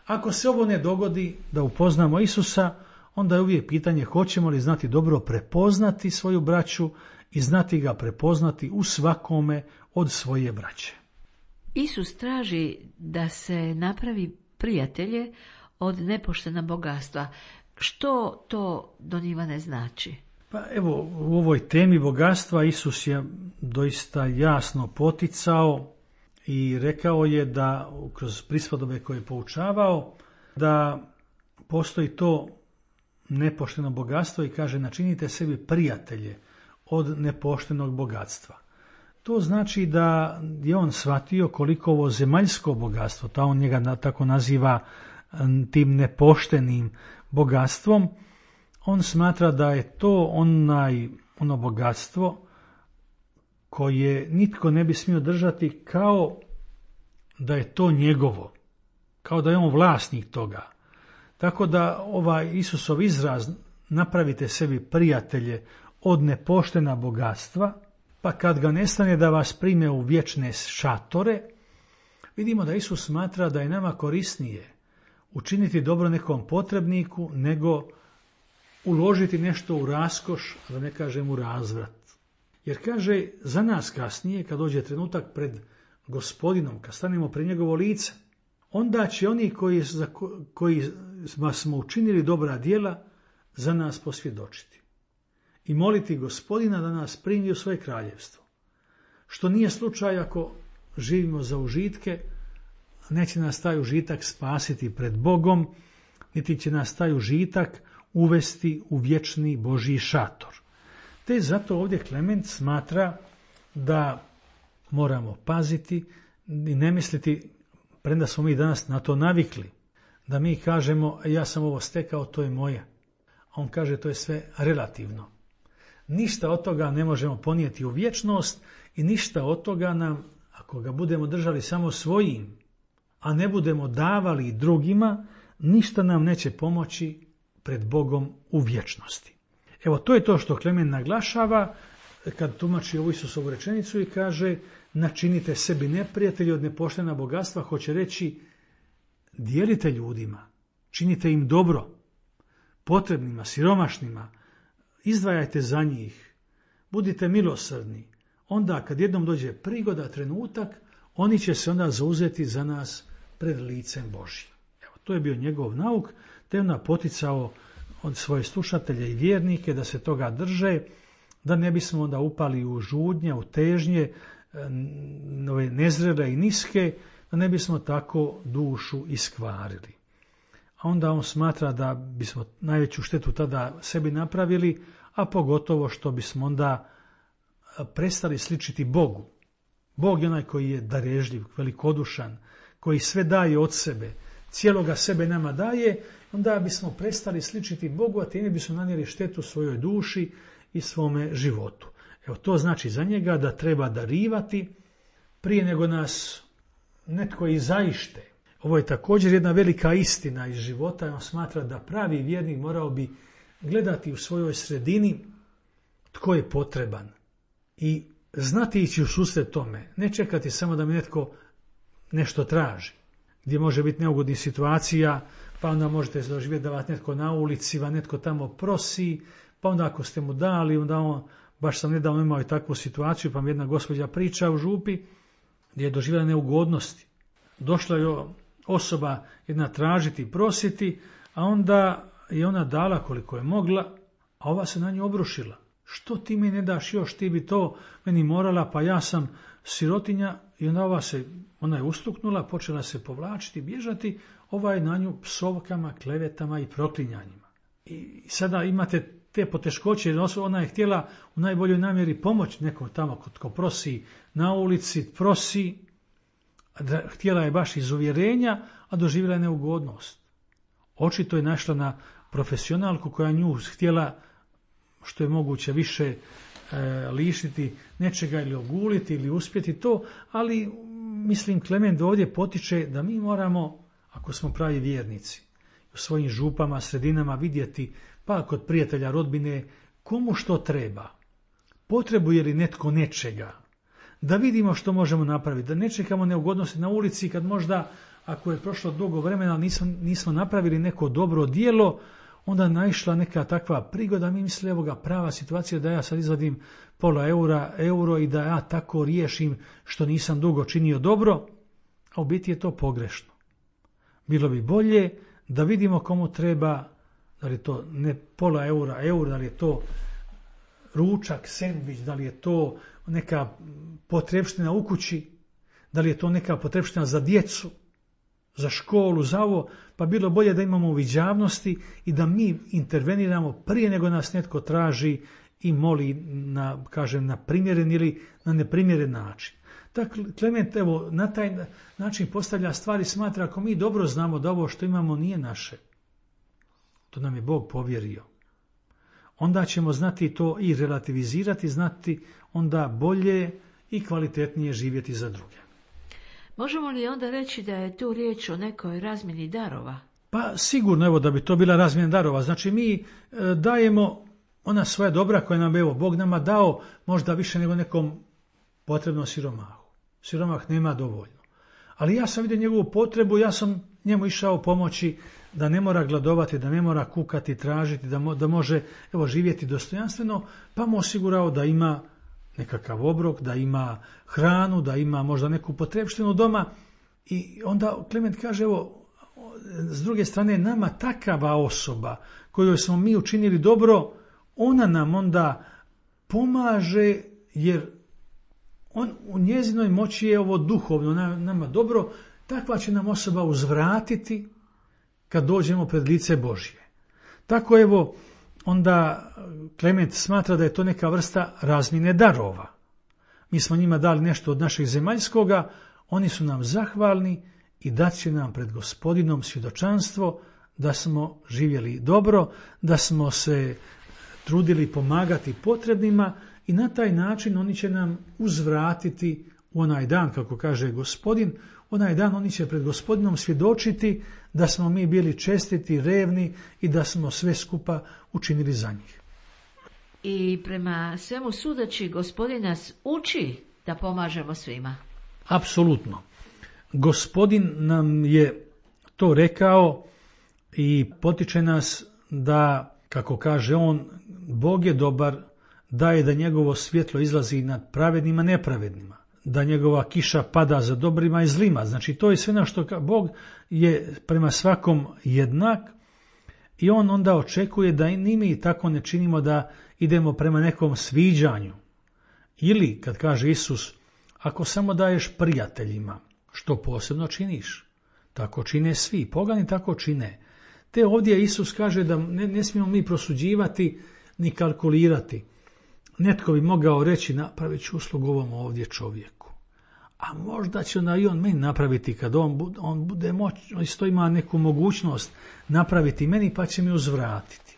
Ako se ovo ne dogodi, da upoznamo Isusa, onda je uvijek pitanje hoćemo li znati dobro prepoznati svoju braću i znati ga prepoznati u svakome od svoje braće. Isus traži da se napravi prijatelje od nepoštena bogatstva. Što to don Ivane znači? Pa evo, u ovoj temi bogatstva Isus je doista jasno poticao i rekao je da kroz prispodobe koje je poučavao da postoji to nepošteno bogatstvo i kaže načinite sebi prijatelje od nepoštenog bogatstva. To znači da je on shvatio koliko ovo zemaljsko bogatstvo, ta on njega tako naziva tim nepoštenim bogatstvom, on smatra da je to onaj, ono bogatstvo koje nitko ne bi smio držati kao da je to njegovo, kao da je on vlasnik toga. Tako da ovaj Isusov izraz napravite sebi prijatelje od nepoštena bogatstva, pa kad ga nestane da vas prime u vječne šatore, vidimo da Isus smatra da je nama korisnije učiniti dobro nekom potrebniku nego uložiti nešto u raskoš, da ne kažem u razvrat. Jer kaže, za nas kasnije, kad dođe trenutak pred Gospodinom, kad stanemo pred njegovo lice, onda će oni koji, za koji smo učinili dobra djela za nas posvjedočiti i moliti Gospodina da nas primi u svoje kraljevstvo. Što nije slučaj ako živimo za užitke, neće nas taj užitak spasiti pred Bogom, niti će nas taj užitak uvesti u vječni Božji šator. Te zato ovdje Klement smatra da moramo paziti i ne misliti, premda smo mi danas na to navikli, da mi kažemo ja sam ovo stekao, to je moje. A on kaže to je sve relativno. Ništa od toga ne možemo ponijeti u vječnost i ništa od toga nam, ako ga budemo držali samo svojim, a ne budemo davali drugima, ništa nam neće pomoći pred Bogom u vječnosti. Evo, to je to što Klement naglašava kad tumači ovu Isusovu rečenicu i kaže načinite sebi neprijatelji od nepoštena bogatstva, hoće reći dijelite ljudima, činite im dobro, potrebnima, siromašnima, izdvajajte za njih, budite milosrdni. Onda kad jednom dođe prigoda, trenutak, oni će se onda zauzeti za nas pred licem Božjim. Evo, to je bio njegov nauk, te onda poticao od svoje slušatelje i vjernike da se toga drže, da ne bismo onda upali u žudnje, u težnje, nove nezrele i niske, da ne bismo tako dušu iskvarili. A onda on smatra da bismo najveću štetu tada sebi napravili, a pogotovo što bismo onda prestali sličiti Bogu. Bog je onaj koji je darežljiv, velikodušan, koji sve daje od sebe, cijeloga sebe nama daje, onda bismo prestali sličiti Bogu, a time bismo nanijeli štetu svojoj duši i svome životu. Evo, to znači za njega da treba darivati prije nego nas netko i zaište. Ovo je također jedna velika istina iz života. On smatra da pravi vjernik morao bi gledati u svojoj sredini tko je potreban i znati ići u susret tome. Ne čekati samo da mi netko nešto traži, gdje može biti neugodnih situacija, pa onda možete doživjeti da vas netko na ulici, va netko tamo prosi, pa onda ako ste mu dali, onda on, baš sam nedavno imao i takvu situaciju, pa mi jedna gospođa priča u župi gdje je doživjela neugodnosti. Došla je osoba jedna tražiti, prositi, a onda je ona dala koliko je mogla, a ova se na nju obrušila. Što ti mi ne daš još, ti bi to meni morala, pa ja sam sirotinja. I onda ova se, ona je ustuknula, počela se povlačiti, bježati, ova je na nju psovkama, klevetama i proklinjanjima. I sada imate te poteškoće, jer ona je htjela u najboljoj namjeri pomoći nekom tamo ko prosi na ulici, prosi, htjela je baš iz uvjerenja, a doživjela je neugodnost. Očito je našla na profesionalku koja nju htjela što je moguće više e, lišiti nečega ili oguliti ili uspjeti to, ali mislim Klement ovdje potiče da mi moramo, ako smo pravi vjernici, u svojim župama, sredinama vidjeti, pa kod prijatelja, rodbine, komu što treba, potrebuje li netko nečega, da vidimo što možemo napraviti, da ne čekamo neugodnosti na ulici kad možda, ako je prošlo dugo vremena, nismo, nismo napravili neko dobro djelo, onda naišla neka takva prigoda, mi mislili, evo ga, prava situacija da ja sad izvadim pola eura, euro i da ja tako riješim što nisam dugo činio dobro, a u biti je to pogrešno. Bilo bi bolje da vidimo komu treba, da li je to ne pola eura, euro, da li je to ručak, sendvič, da li je to neka potrebština u kući, da li je to neka potrebština za djecu, za školu, za ovo, pa bilo bolje da imamo uviđavnosti i da mi interveniramo prije nego nas netko traži i moli na, kažem, na primjeren ili na neprimjeren način. Dakle, Klement, evo, na taj način postavlja stvari, smatra, ako mi dobro znamo da ovo što imamo nije naše, to nam je Bog povjerio, onda ćemo znati to i relativizirati, znati onda bolje i kvalitetnije živjeti za druge. Možemo li onda reći da je tu riječ o nekoj razmjeni darova? Pa sigurno, evo, da bi to bila razmjena darova. Znači mi e, dajemo ona svoja dobra koja nam, evo, Bog nama dao možda više nego nekom potrebnom siromahu. Siromah nema dovoljno. Ali ja sam vidio njegovu potrebu, ja sam njemu išao pomoći da ne mora gladovati, da ne mora kukati, tražiti, da, mo, da može, evo, živjeti dostojanstveno, pa mu osigurao da ima nekakav obrok, da ima hranu, da ima možda neku potrebštinu doma. I onda Klement kaže, evo, s druge strane, nama takava osoba kojoj smo mi učinili dobro, ona nam onda pomaže, jer on, u njezinoj moći je ovo duhovno nama dobro, takva će nam osoba uzvratiti kad dođemo pred lice Božje. Tako, evo, onda Klement smatra da je to neka vrsta razmjene darova. Mi smo njima dali nešto od našeg zemaljskoga, oni su nam zahvalni i dat će nam pred Gospodinom svjedočanstvo da smo živjeli dobro, da smo se trudili pomagati potrebnima i na taj način oni će nam uzvratiti u onaj dan, kako kaže Gospodin, onaj dan oni će pred Gospodinom svjedočiti da smo mi bili čestiti, revni i da smo sve skupa učinili za njih. I prema svemu sudeći, Gospodin nas uči da pomažemo svima. Apsolutno. Gospodin nam je to rekao i potiče nas da, kako kaže on, Bog je dobar, daje da njegovo svjetlo izlazi nad pravednima i nepravednima, da njegova kiša pada za dobrima i zlima. Znači, to je sve na što Bog je prema svakom jednak i on onda očekuje da ni mi tako ne činimo da idemo prema nekom sviđanju. Ili, kad kaže Isus, ako samo daješ prijateljima, što posebno činiš? Tako čine svi, pogani tako čine. Te ovdje Isus kaže da ne, ne smijemo mi prosuđivati ni kalkulirati. Netko bi mogao reći, napravit ću uslugu ovom ovdje čovjeku. A možda će onda i on meni napraviti kad on bude, on bude moć, isto ima neku mogućnost napraviti meni pa će mi uzvratiti.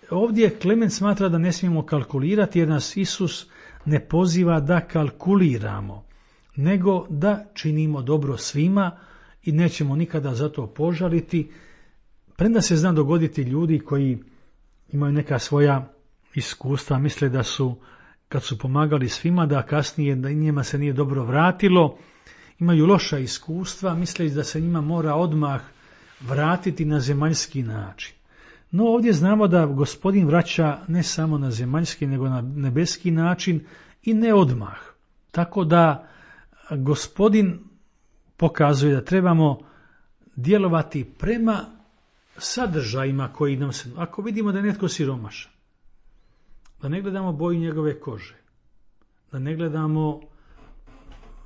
Ovdje Klement smatra da ne smijemo kalkulirati jer nas Isus ne poziva da kalkuliramo, nego da činimo dobro svima i nećemo nikada za to požaliti. Premda se zna dogoditi ljudi koji imaju neka svoja iskustva, misle da su, kad su pomagali svima, da kasnije da njima se nije dobro vratilo, imaju loša iskustva, misle da se njima mora odmah vratiti na zemaljski način. No ovdje znamo da Gospodin vraća ne samo na zemaljski, nego na nebeski način i ne odmah. Tako da Gospodin pokazuje da trebamo djelovati prema sadržajima koji nam se... Ako vidimo da je netko siromašan, da ne gledamo boju njegove kože, da ne gledamo,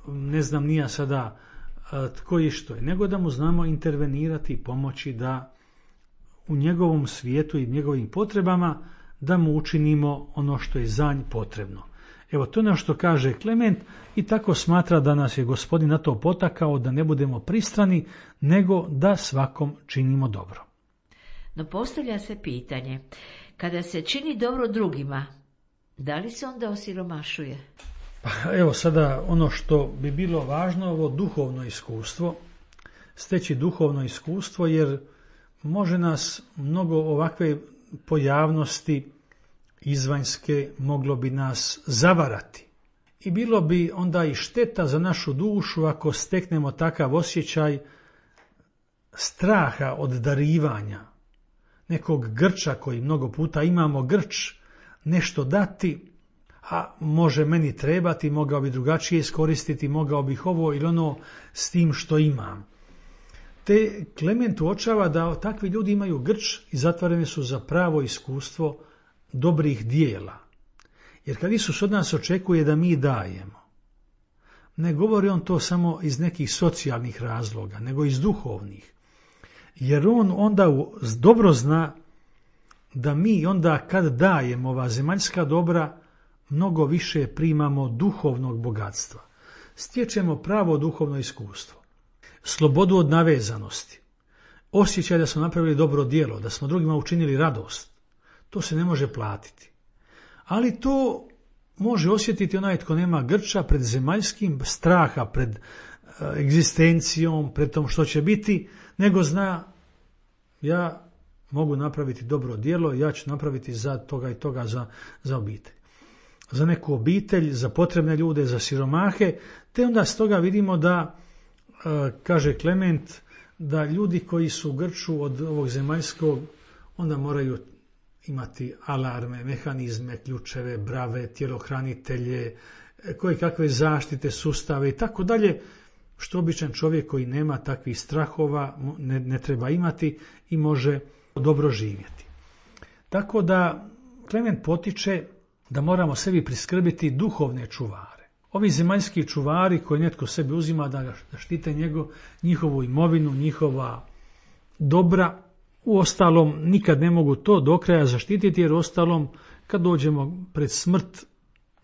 ne znam nija sada tko i što je, nego da mu znamo intervenirati i pomoći da u njegovom svijetu i njegovim potrebama da mu učinimo ono što je za njih potrebno. Evo, to je ono što kaže Klement i tako smatra da nas je Gospodin na to potakao da ne budemo pristrani, nego da svakom činimo dobro. No postavlja se pitanje, kada se čini dobro drugima, da li se onda osiromašuje? Pa evo sada ono što bi bilo važno, ovo duhovno iskustvo, steći duhovno iskustvo, jer može nas mnogo ovakve pojavnosti izvanjske, moglo bi nas zavarati. I bilo bi onda i šteta za našu dušu ako steknemo takav osjećaj straha od darivanja, nekog grča koji mnogo puta imamo grč, nešto dati, a može meni trebati, mogao bi drugačije iskoristiti, mogao bih ovo ili ono s tim što imam. Te Klement uočava da takvi ljudi imaju grč i zatvoreni su za pravo iskustvo dobrih dijela. Jer kad Isus od nas očekuje da mi dajemo, ne govori on to samo iz nekih socijalnih razloga, nego iz duhovnih. Jer on onda dobro zna da mi onda kad dajemo ova zemaljska dobra, mnogo više primamo duhovnog bogatstva. Stječemo pravo duhovno iskustvo, slobodu od navezanosti, osjećaj da smo napravili dobro djelo, da smo drugima učinili radost. To se ne može platiti. Ali to može osjetiti onaj tko nema grča pred zemaljskim, straha pred egzistencijom, pred tom što će biti, nego zna ja mogu napraviti dobro djelo, ja ću napraviti za toga i toga za, za obitelj. Za neku obitelj, za potrebne ljude, za siromahe, te onda s toga vidimo da, kaže Klement, da ljudi koji su u grču od ovog zemaljskog, onda moraju imati alarme, mehanizme, ključeve, brave, tjelohranitelje, koje kakve zaštite, sustave i tako dalje, što običan čovjek koji nema takvih strahova ne, ne treba imati i može dobro živjeti. Tako da Klement potiče da moramo sebi priskrbiti duhovne čuvare. Ovi zemaljski čuvari koji netko sebi uzima da, da štite njego, njihovu imovinu, njihova dobra, u ostalom nikad ne mogu to do kraja zaštititi, jer ostalom kad dođemo pred smrt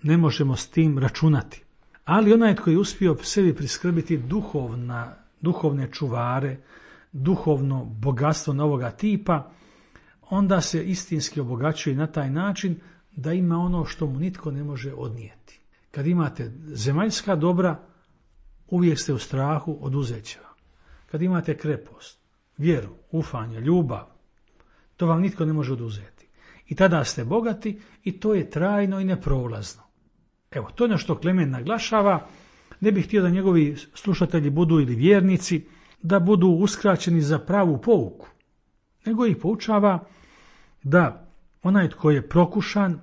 ne možemo s tim računati. Ali onaj tko je uspio sebi priskrbiti duhovna, duhovne čuvare, duhovno bogatstvo novoga tipa, onda se istinski obogaćuje na taj način da ima ono što mu nitko ne može odnijeti. Kad imate zemaljska dobra, uvijek ste u strahu oduzet će vam. Kad imate krepost, vjeru, ufanje, ljubav, to vam nitko ne može oduzeti. I tada ste bogati i to je trajno i neprolazno. Evo, to je ono što Klement naglašava. Ne bih htio da njegovi slušatelji budu ili vjernici, da budu uskraćeni za pravu pouku, nego ih poučava da onaj tko je prokušan,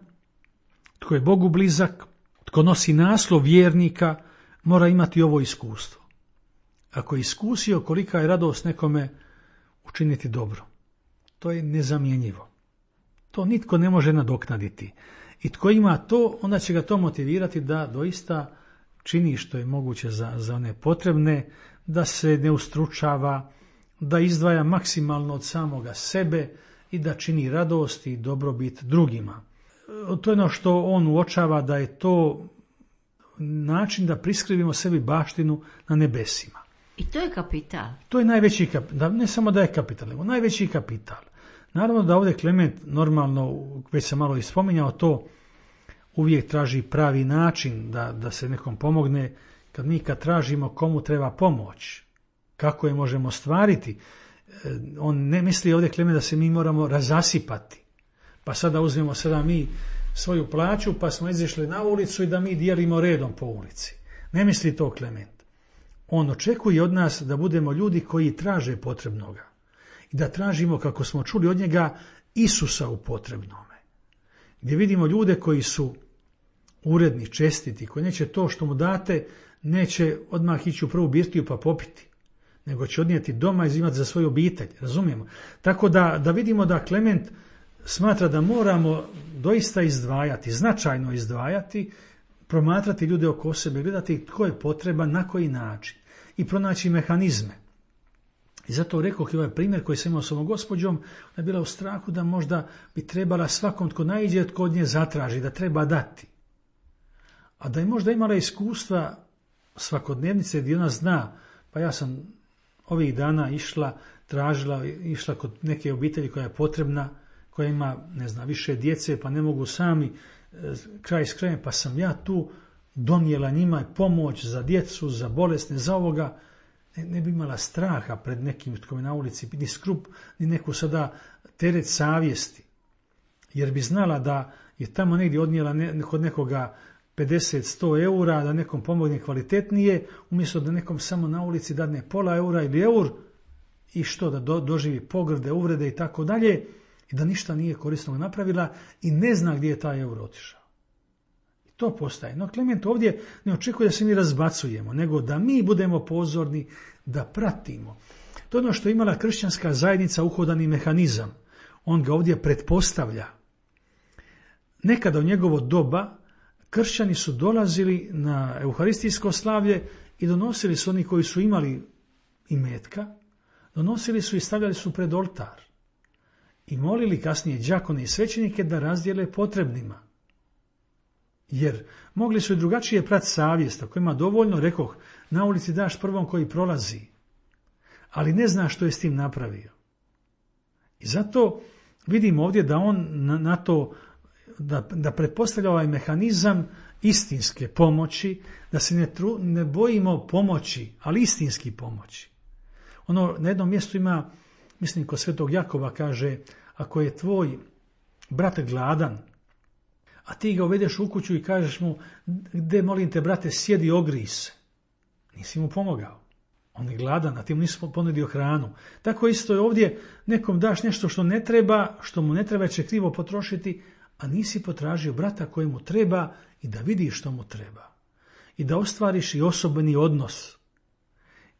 tko je Bogu blizak, tko nosi naslov vjernika, mora imati ovo iskustvo. Ako je iskusio kolika je radost nekome učiniti dobro, to je nezamjenjivo. To nitko ne može nadoknaditi. I tko ima to, onda će ga to motivirati da doista čini što je moguće za, za one potrebne, da se ne ustručava, da izdvaja maksimalno od samoga sebe i da čini radost i dobrobit drugima. To je ono što on uočava, da je to način da priskrivimo sebi baštinu na nebesima. I to je kapital. To je najveći kapital, ne samo da je kapital, nego najveći kapital. Naravno da ovdje Klement, normalno, već sam malo ispominjao to, uvijek traži pravi način da, da se nekom pomogne. Kad mi kad tražimo komu treba pomoć, kako je možemo stvariti, on ne misli ovdje Klement da se mi moramo razasipati. Pa sada uzmemo sada mi svoju plaću pa smo izišli na ulicu i da mi dijelimo redom po ulici. Ne misli to Klement. On očekuje od nas da budemo ljudi koji traže potrebnoga. I da tražimo, kako smo čuli od njega, Isusa u potrebnome. Gdje vidimo ljude koji su uredni, čestiti, koji neće to što mu date, neće odmah ići u prvu birtiju pa popiti, nego će odnijeti doma i imati za svoju obitelj, razumijemo. Tako da, da vidimo da Klement smatra da moramo doista izdvajati, značajno izdvajati, promatrati ljude oko sebe, gledati tko je potreban, na koji način i pronaći mehanizme. I zato rekao i ovaj primjer koji sam imao s ovom gospođom, ona je bila u strahu da možda bi trebala svakom tko naiđe, tko od nje zatraži, da treba dati. A da je možda imala iskustva svakodnevnice gdje ona zna, pa ja sam ovih dana išla tražila, išla kod neke obitelji koja je potrebna, koja ima, ne znam, više djece, pa ne mogu sami kraj s krajem, pa sam ja tu donijela njima pomoć za djecu, za bolesne, za ovoga. Ne, ne bi imala straha pred nekim tko mi na ulici, ni skrup, ni neku sada teret savjesti. Jer bi znala da je tamo negdje odnijela ne, kod nekoga pedeset do sto eura, da nekom pomogne kvalitetnije, umjesto da nekom samo na ulici dadne pola eura ili eur i što, da do, doživi pogrde, uvrede i tako dalje, i da ništa nije korisnog napravila i ne zna gdje je taj euro otišao. I to postaje. No Klement ovdje ne očekuje da se mi razbacujemo, nego da mi budemo pozorni, da pratimo. To je ono što je imala kršćanska zajednica, uhodani mehanizam. On ga ovdje pretpostavlja. Nekada u njegovo doba kršćani su dolazili na euharistijsko slavlje i donosili su oni koji su imali imetka, donosili su i stavljali su pred oltar. I molili kasnije đakone i svećenike da razdijele potrebnima. Jer mogli su i drugačije prati savjest, ako ima dovoljno, rekoh, na ulici daš prvom koji prolazi, ali ne zna što je s tim napravio. I zato vidimo ovdje da on na, na to, da, da pretpostavlja ovaj mehanizam istinske pomoći, da se ne, tru, ne bojimo pomoći, ali istinski pomoći. Ono, na jednom mjestu ima, mislim, kod Svetog Jakova kaže, ako je tvoj brat gladan, a ti ga uvedeš u kuću i kažeš mu, gdje molim te brate, sjedi, ogrij se. Nisi mu pomogao. On je gladan, a ti mu nisi ponudio hranu. Tako isto je ovdje, nekom daš nešto što ne treba, što mu ne treba, će krivo potrošiti, a nisi potražio brata kojemu treba i da vidiš što mu treba. I da ostvariš i osobni odnos.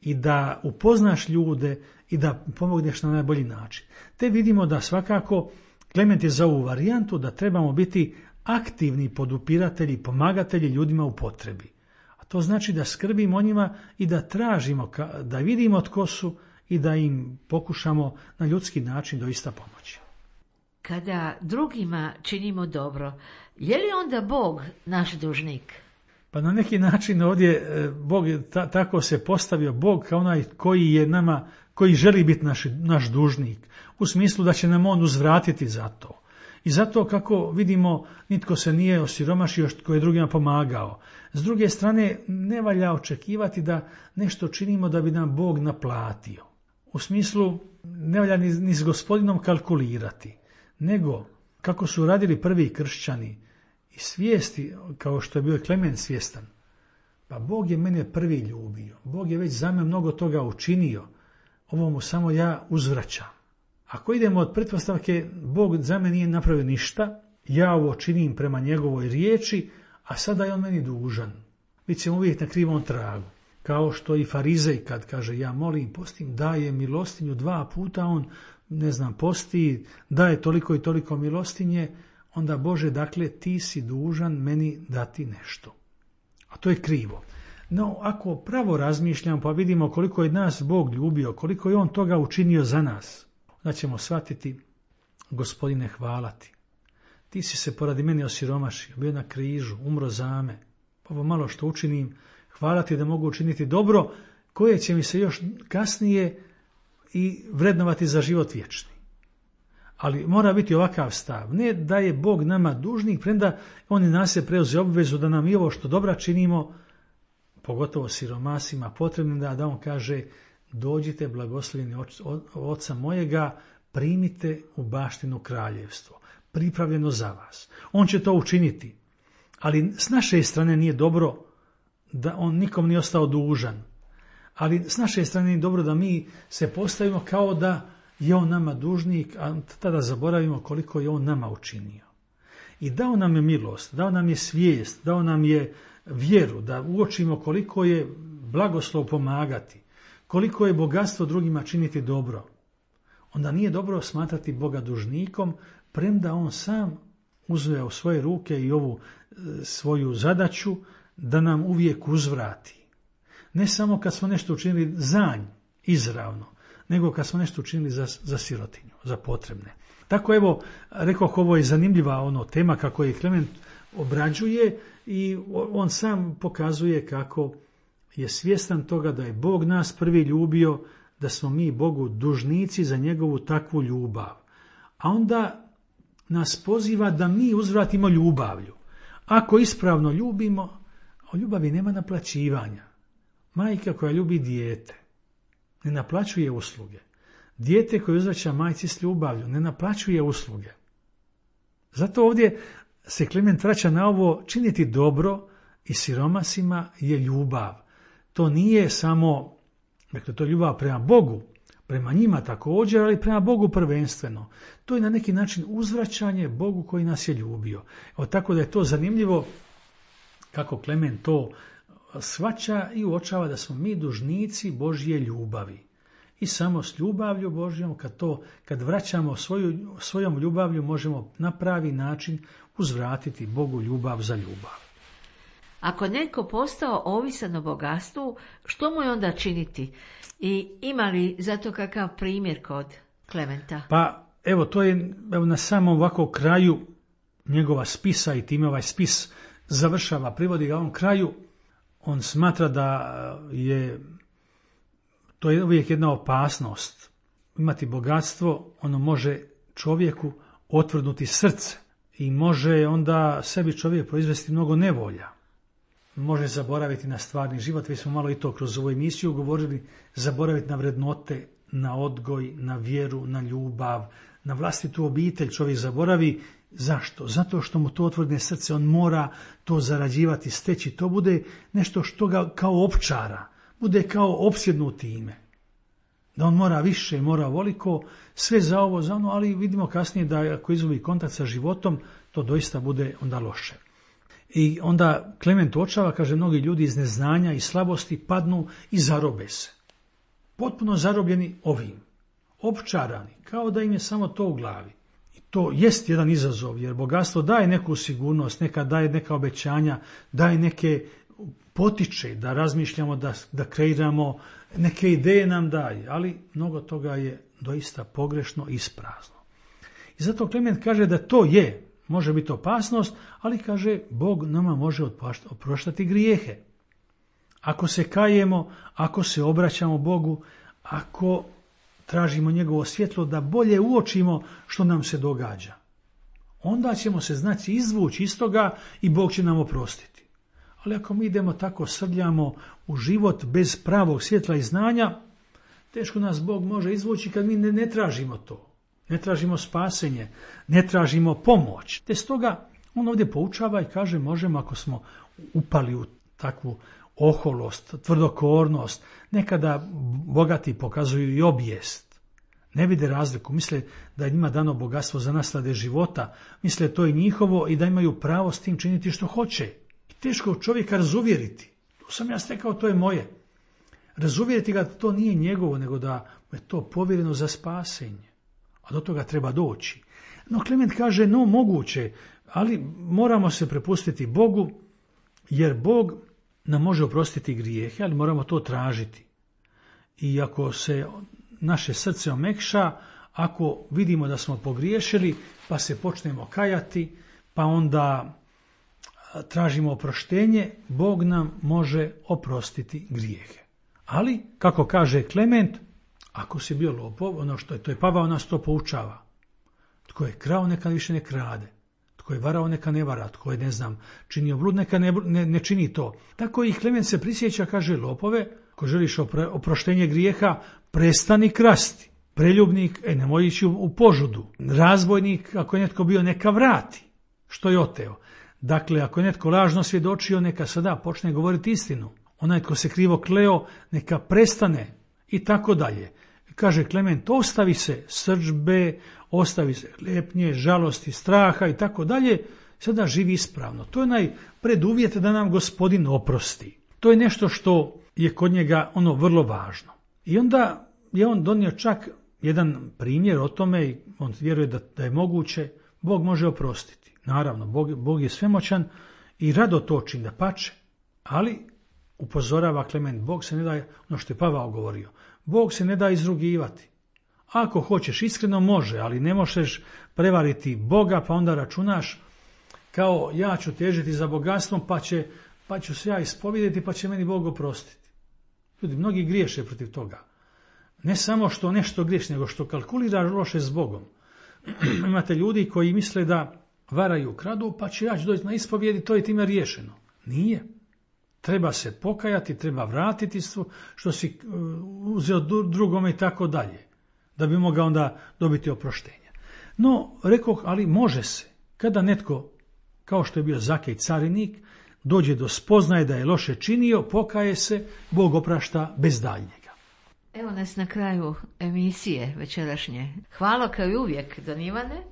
I da upoznaš ljude i da pomogneš na najbolji način. Te vidimo da svakako Klement je za ovu varijantu da trebamo biti aktivni podupiratelji, pomagatelji ljudima u potrebi. A to znači da skrbimo o njima i da tražimo, da vidimo tko su i da im pokušamo na ljudski način doista pomoći. Kada drugima činimo dobro, je li onda Bog naš dužnik? Pa na neki način ovdje Bog je ta, tako se postavio, Bog kao onaj koji je nama, koji želi biti naš, naš dužnik, u smislu da će nam on uzvratiti za to. I zato, kako vidimo, nitko se nije osiromašio tko je drugima pomagao. S druge strane, ne valja očekivati da nešto činimo da bi nam Bog naplatio. U smislu, ne valja ni, ni s gospodinom kalkulirati, nego, kako su radili prvi kršćani, i svijesti, kao što je bio Klement svjestan, pa Bog je mene prvi ljubio, Bog je već za me mnogo toga učinio, ovo mu samo ja uzvraćam. Ako idemo od pretpostavke, Bog za me nije napravio ništa, ja ovo činim prema njegovoj riječi, a sada je on meni dužan. Bit ćemo uvijek na krivom tragu. Kao što i farizej kad kaže ja molim, postim, daje milostinju dva puta, on, ne znam, posti, daje toliko i toliko milostinje, onda Bože, dakle, ti si dužan meni dati nešto. A to je krivo. No, ako pravo razmišljamo, pa vidimo koliko je nas Bog ljubio, koliko je on toga učinio za nas, da ćemo shvatiti, Gospodine, hvala ti. Ti si se poradi mene osiromašio, bio na križu, umro za me. Pa ovo malo što učinim, hvala ti da mogu učiniti dobro, koje će mi se još kasnije i vrednovati za život vječni. Ali mora biti ovakav stav, ne da je Bog nama dužnik, premda on i nas je preuzeo obvezu da nam i ovo što dobra činimo, pogotovo siromasima, potrebno da, da on kaže, dođite blagoslovljeni oca mojega, primite u baštinu kraljevstvo, pripravljeno za vas. On će to učiniti, ali s naše strane nije dobro da on nikom nije ostao dužan, ali s naše strane nije dobro da mi se postavimo kao da je on nama dužnik, a tada zaboravimo koliko je on nama učinio. I dao nam je milost, dao nam je svijest, dao nam je vjeru, da uočimo koliko je blagoslov pomagati, koliko je bogatstvo drugima činiti dobro. Onda nije dobro smatrati Boga dužnikom, premda on sam uzeo u svoje ruke i ovu e, svoju zadaću da nam uvijek uzvrati. Ne samo kad smo nešto učinili za nj, izravno, nego kad smo nešto učinili za, za sirotinju, za potrebne. Tako evo, rekoh, ovo je zanimljiva ono tema kako je Klement obrađuje i on sam pokazuje kako je svjestan toga da je Bog nas prvi ljubio, da smo mi Bogu dužnici za njegovu takvu ljubav. A onda nas poziva da mi uzvratimo ljubavlju. Ako ispravno ljubimo, o ljubavi nema naplaćivanja. Majka koja ljubi dijete ne naplaćuje usluge. Dijete koje uzvraća majci s ljubavlju ne naplaćuje usluge. Zato ovdje se Klement vraća na ovo: činiti dobro i siromasima je ljubav. To nije samo, dakle, to je ljubav prema Bogu, prema njima također, ali prema Bogu prvenstveno. To je na neki način uzvraćanje Bogu koji nas je ljubio. Evo, tako da je to zanimljivo kako Klement to shvaća i uočava da smo mi dužnici Božje ljubavi. I samo s ljubavlju Božjom, kad to, kad vraćamo svoju, svojom ljubavlju, možemo na pravi način uzvratiti Bogu ljubav za ljubav. Ako neko postao ovisan o bogatstvu, što mu je onda činiti? I ima li zato kakav primjer kod Klementa? Pa evo, to je evo, na samom ovako kraju njegova spisa, i time ovaj spis završava, privodi ga on kraju. On smatra da je to je uvijek jedna opasnost. Imati bogatstvo, ono može čovjeku otvrdnuti srce i može onda sebi čovjek proizvesti mnogo nevolja. Može zaboraviti na stvarni život, već smo malo i to kroz ovu emisiju govorili, zaboraviti na vrednote, na odgoj, na vjeru, na ljubav, na vlastitu obitelj čovjek zaboravi. Zašto? Zato što mu to otvrdne srce, on mora to zarađivati, steći, to bude nešto što ga kao opčara, bude kao opsjednut time. Da on mora više, mora voliko, sve za ovo, za ono, ali vidimo kasnije da ako izgubi kontakt sa životom, to doista bude onda loše. I onda Klement uočava, kaže, mnogi ljudi iz neznanja i slabosti padnu i zarobe se. Potpuno zarobljeni ovim, opčarani, kao da im je samo to u glavi. I to jest jedan izazov, jer bogatstvo daje neku sigurnost, neka daje neka obećanja, daje neke potiče da razmišljamo, da, da kreiramo, neke ideje nam daje, ali mnogo toga je doista pogrešno i isprazno. I zato Klement kaže da to je, može biti opasnost, ali kaže Bog nama može oproštati grijehe. Ako se kajemo, ako se obraćamo Bogu, ako tražimo njegovo svjetlo da bolje uočimo što nam se događa, onda ćemo se znači izvući iz toga i Bog će nam oprostiti. Ali ako mi idemo tako, srljamo u život bez pravog svjetla i znanja, teško nas Bog može izvući kad mi ne, ne tražimo to. Ne tražimo spasenje, ne tražimo pomoć. Te stoga on ovdje poučava i kaže možemo, ako smo upali u takvu oholost, tvrdokornost, nekada bogati pokazuju i obijest. Ne vide razliku, misle da je njima dano bogatstvo za naslade života, misle to je njihovo i da imaju pravo s tim činiti što hoće. I teško čovjeka razuvjeriti. To sam ja stekao, to je moje. Razuvjeriti ga da to nije njegovo, nego da je to povjereno za spasenje. A do toga treba doći. No Klement kaže, no moguće, ali moramo se prepustiti Bogu, jer Bog nam može oprostiti grijehe, ali moramo to tražiti. I ako se naše srce omekša, ako vidimo da smo pogriješili, pa se počnemo kajati, pa onda tražimo oproštenje, Bog nam može oprostiti grijehe. Ali, kako kaže Klement, ako si bio lopov, ono što je, to je Pavao nas to poučava. Tko je krao, neka više ne krade. Tko je varao, neka ne vara. Tko je, ne znam, činio blud, neka ne, ne, ne čini to. Tako i Klement se prisjeća, kaže, lopove, ako želiš opre, oproštenje grijeha, prestani krasti. Preljubnik, e, nemoj ići u, u požudu. Razbojnik, ako je netko bio, neka vrati što je oteo. Dakle, ako je netko lažno svjedočio, neka sada počne govoriti istinu. Onaj tko se krivo kleo, neka prestane i tako dalje. Kaže Klement, ostavi se srdžbe, ostavi se klepnje, žalosti, straha i tako dalje, sada živi ispravno. To je onaj preduvjet da nam Gospodin oprosti. To je nešto što je kod njega ono vrlo važno. I onda je on donio čak jedan primjer o tome i on vjeruje da, da je moguće, Bog može oprostiti. Naravno, Bog, Bog je svemoćan i rado to čini, da pače, ali upozorava Klement, Bog se ne da, ono što je Pavao govorio, Bog se ne da izrugivati. Ako hoćeš iskreno može, ali ne možeš prevariti Boga, pa onda računaš kao ja ću težiti za bogatstvom, pa, će, pa ću se ja ispovidjeti, pa će meni Bog oprostiti. Ljudi, mnogi griješe protiv toga. Ne samo što nešto griješi, nego što kalkulira loše s Bogom. Imate ljudi koji misle da varaju, kradu, pa će ja ću doći na ispovjedi, to je time riješeno. Nije. Treba se pokajati, treba vratiti što si uzeo drugome i tako dalje, da bi mogao onda dobiti oproštenje. No, rekoh, ali može se. Kada netko, kao što je bio Zakej carinik, dođe do spoznaje da je loše činio, pokaje se, Bog oprašta bez daljnjega. Evo nas na kraju emisije večerašnje. Hvala kao i uvijek, don Ivane.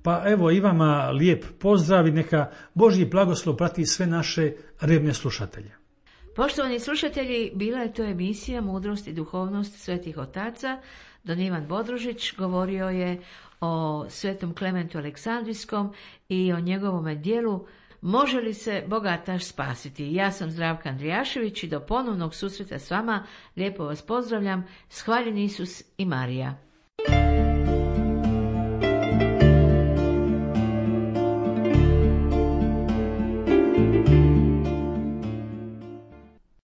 Pa evo i vama lijep pozdrav i neka Božji blagoslov prati sve naše revne slušatelje. Poštovani slušatelji, bila je to emisija Mudrost i duhovnost svetih otaca. Don Ivan Bodružić govorio je o svetom Klementu Aleksandrijskom i o njegovome dijelu Može li se bogataš spasiti? Ja sam Zdravka Andrijašević i do ponovnog susreta s vama lijepo vas pozdravljam. Hvaljen Isus i Marija.